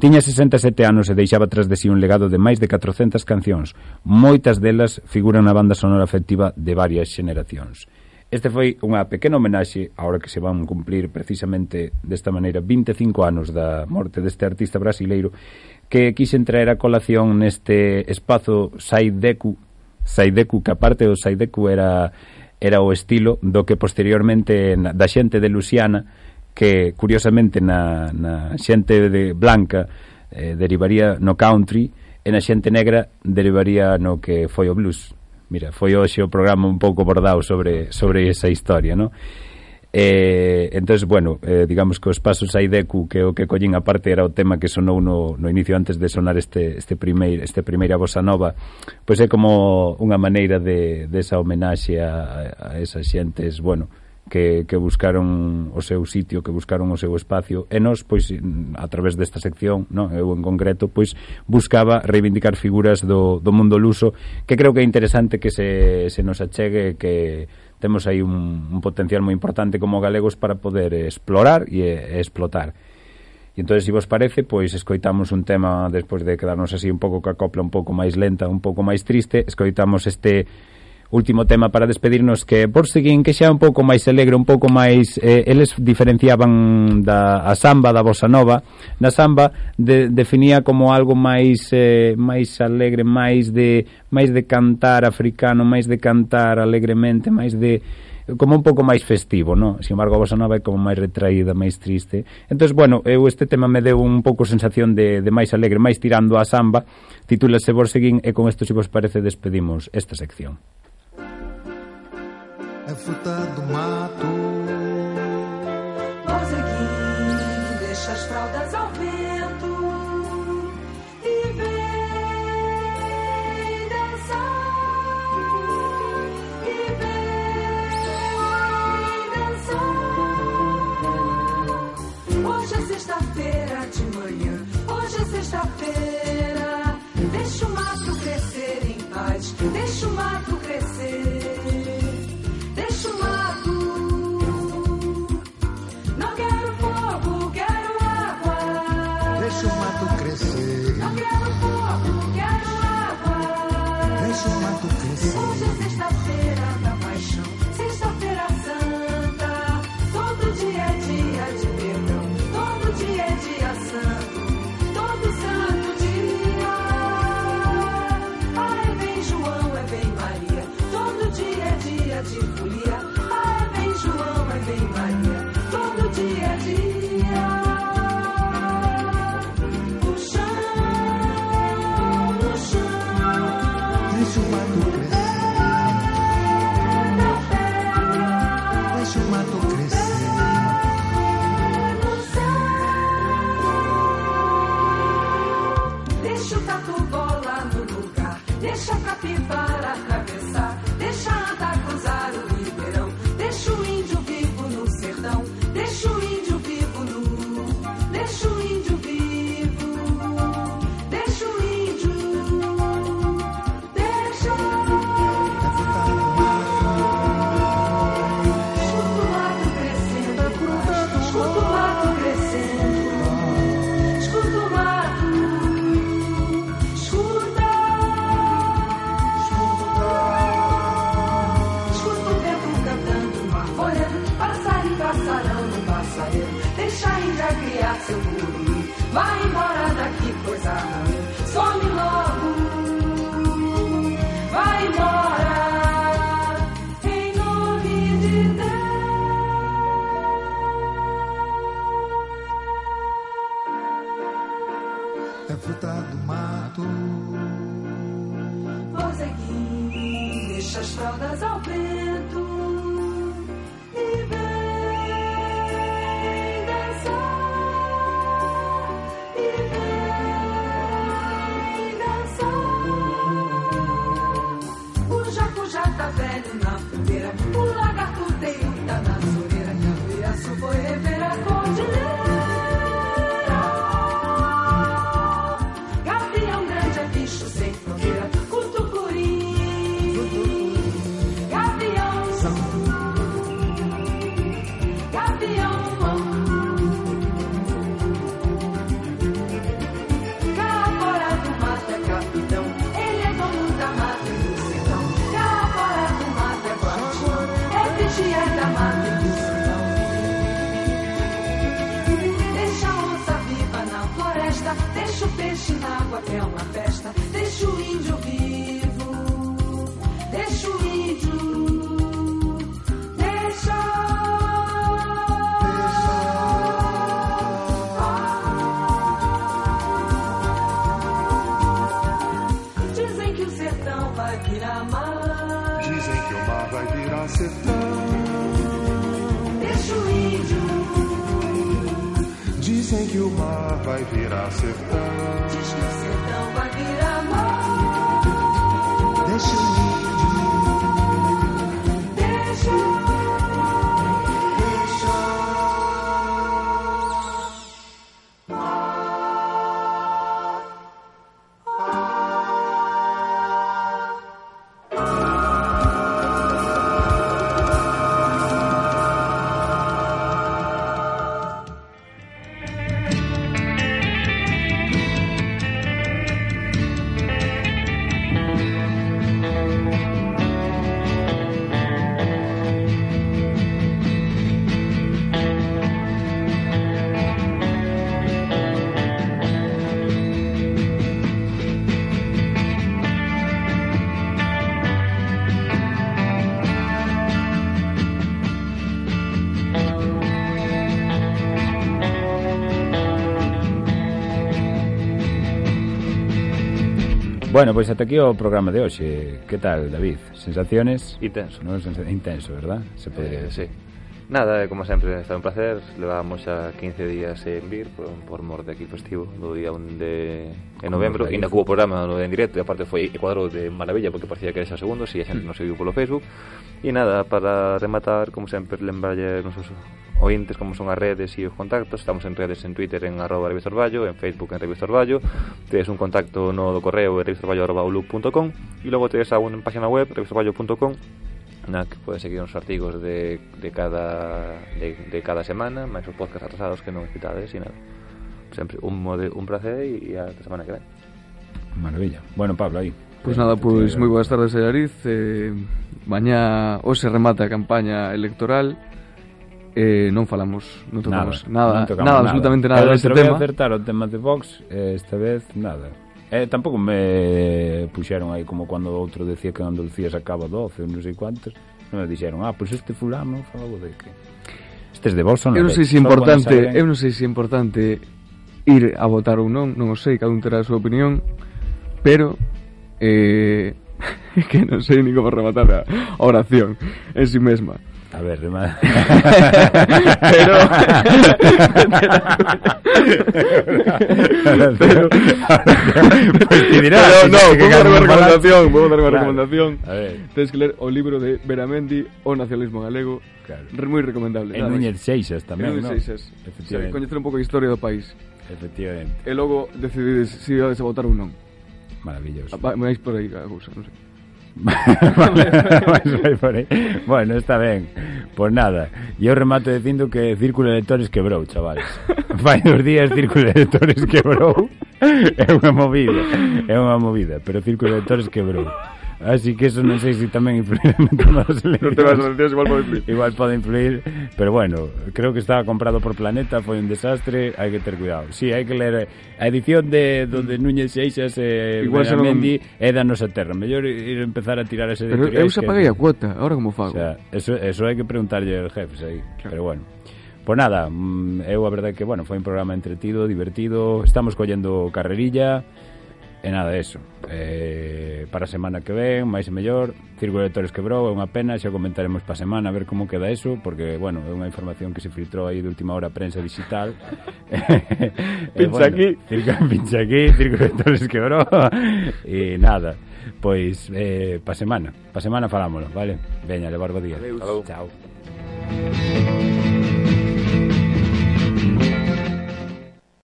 Tiña sesenta e sete anos e deixaba tras de si un legado de máis de catrocentas cancións. Moitas delas figuran na banda sonora afectiva de varias xeneracións. Este foi unha pequena homenaxe, ahora que se van cumplir precisamente desta maneira vinte e cinco anos da morte deste artista brasileiro, que quixen traer a colación neste espazo Saideku, Saideku, que aparte do Saideku era, era o estilo do que posteriormente na, da xente de Luisiana, que curiosamente na, na xente de blanca eh, derivaría no country e na xente negra derivaría no que foi o blues. Mira, foi hoxe o programa un pouco bordado sobre, sobre esa historia, non? Eh, entonces, bueno, eh, digamos que os pasos Saideku, que o que collín aparte era o tema que sonou no, no inicio antes de sonar este este primeiro este primeira bossa nova, pois é como unha maneira de, de esa homenaxe a, a esas xentes, bueno, que, que buscaron o seu sitio, que buscaron o seu espacio, e nós, pois, a través desta sección, non, eu en concreto, pois, buscaba reivindicar figuras do, do mundo luso, que creo que é interesante que se, se nos achegue, que temos aí un, un potencial moi importante como galegos para poder explorar e, e explotar. E entón, se vos parece, pois escoitamos un tema, despois de quedarnos así un pouco ca copla un pouco máis lenta, un pouco máis triste, escoitamos este último tema para despedirnos, que por seguín que xa un pouco máis alegre, un pouco máis eh, eles diferenciaban da a samba da bossa nova. Na samba de, definía como algo máis eh, máis alegre, máis de máis de cantar africano, máis de cantar alegremente, máis de como un pouco máis festivo, non? Sin embargo, a bossa nova é como máis retraída, máis triste. Entón, bueno, eu este tema me deu un pouco sensación de, de máis alegre, máis tirando a samba. Titúlase Borseguín e con isto, se vos parece, despedimos esta sección. É fruta do mato. Borseguim, deixa as fraldas ao vento e vem dançar, e vem dançar. Hoje é sexta-feira de manhã, hoje é sexta-feira. Deixa o mato crescer em paz, deixa o mato crescer. Deixa o mato, não quero fogo, quero água. Deixa o mato crescer. Não quero fogo, quero água. Deixa o mato crescer. Hoje é sexta-feira da paixão, sexta-feira santa. Todo dia é dia de perdão, todo dia é dia santo, todo santo dia. Ai, vem João, é vem Maria, todo dia é dia de folia. Ai, vem João, é vem Maria, todo dia é dia. No chão, no chão, deixa o mato crescer. Deixa o mato crescer. No céu, deixa o tatu-bola no lugar, deixa a capivara atravessar, deixa andar, cruzar o ribeirão, deixa o índio vivo no sertão, deixa o índio vivo nu, deixa o índio vivo, deixa o índio, deixa. a criar seu guru. Vai embora daqui, coisa ruim, some logo. Vai embora, em nome de Deus. É fruta do mato. Vozeguinho, deixa as fraldas ao vento. E vem dançar. E vem dançar. O jaco já tá velho na fogueira. O lagarto-teio tá na soleira. Que a Cuiaçu foi rever a cordilheira. Gavião grande é bicho sem fronteira. Cutucuri, gavião, gavião. Cá fora do mato é capitão. Ele é dono da mata e do sertão. Cá fora do mato é guardião. É vigia da mata e do sertão. Deixa a onça viva na floresta. Deixa o peixe na água que é uma festa. Deixa o índio vivo. Deixa o índio. Deixa. Dizem que o sertão vai virar mar. Dizem que o mar vai virar sertão. Deixa o índio. Dizem que o mar vai virar sertão. Diz que o sertão vai virar mar. Deixa o índio. Deixa. Bueno, pois ata aquí o programa de hoxe. Que tal, David? Sensaciones? Intenso. No, intenso, verdad? Se podría eh, sí. Nada, como sempre, está un placer. Levábamos xa quince días en vir por, por mor de aquí festivo do día un de en novembro. E ainda cubo programa no en directo. E aparte foi cuadro de maravilla porque parecía que era xa segundo. Si a xente nos seguiu polo Facebook. E nada, para rematar, como sempre, lembrarlle nosos ointes como son as redes e os contactos. Estamos en redes en Twitter en arroba Revista Orballo, en Facebook en Revista Orballo. Tedes un contacto no do correo en revistaorballo arroba outlook punto com e logo tedes a unha página web revistaorballo punto com na que podes seguir os artigos de, de cada de, de cada semana, máis os podcasts atrasados que non escritades e nada. Sempre un, mode, un placer e a semana que ven. Maravilla. Bueno, Pablo, aí. Pois pues nada, pois pues, moi boas tardes, Allariz. Eh, mañá hoxe remata a campaña electoral. Eh, non falamos, non tocamos nada, nada, non tocamos nada, nada, absolutamente nada deste tema. Eu acertar o tema de Vox, eh, esta vez nada. Eh, tampouco me puxeron aí como cando o outro decía que Andalucía sacaba doce ou non sei cuántos. Non me dixeron, ah, pois pues este fulano falou de que estes de Vox son. Eu non sei se importante, eu non sei se é importante ir a votar ou non, non o sei, cada un terá a súa opinión, pero eh que non sei ni como rematar a oración en si mesma. A ver, remata. Pero pero pues te dirá. Pero no, pongo unha recomendación, pongo unha recomendación. A ver, tens que ler o libro de Beramendi, O nacionalismo galego. Claro. Moi recomendable. En Núñez Seixas tamén, ¿no? En Núñez Seixas. Efectivamente. Coñecer un pouco a historia do país. Efectivamente. E logo decidides se ibades a votar ou non. Maravilloso. Vais por aí a cousa, non sei. Bueno, está ben. Pois nada, eu remato dicindo que Círculo de Electores quebrou, chavales. Fai dos días Círculo de Electores quebrou. É unha movida, é unha movida, pero Círculo de Electores quebrou. Así que eso non sei se tamén influirá no tema das eleccións. No tema das eleccións igual pode influir. Igual pode influir, pero bueno, creo que estaba comprado por Planeta, foi un desastre, hai que ter cuidado. Si, sí, hai que ler a edición de donde Núñez Seixas e eh, Benamendi non... é da nosa terra. Mellor ir empezar a tirar ese editorial. Pero eu xa paguei a cuota, ahora como fago? O sea, eso, eso hai que preguntarlle aos jefes aí, claro. Pero bueno. Pois nada, eu a verdade que, bueno, foi un programa entretido, divertido, estamos collendo carrerilla. E nada, eso. Eh, para a semana que ven, máis e mellor, Círculo de Lectores quebrou, é unha pena, xa comentaremos para a semana a ver como queda eso, porque, bueno, é unha información que se filtrou aí de última hora a prensa digital. Pincha bueno, aquí. Pincha aquí, Círculo de Lectores quebrou. E nada, pois, eh, para a semana, para a semana falámoslo, vale? Veña, levar bo día. Adeus. Chao.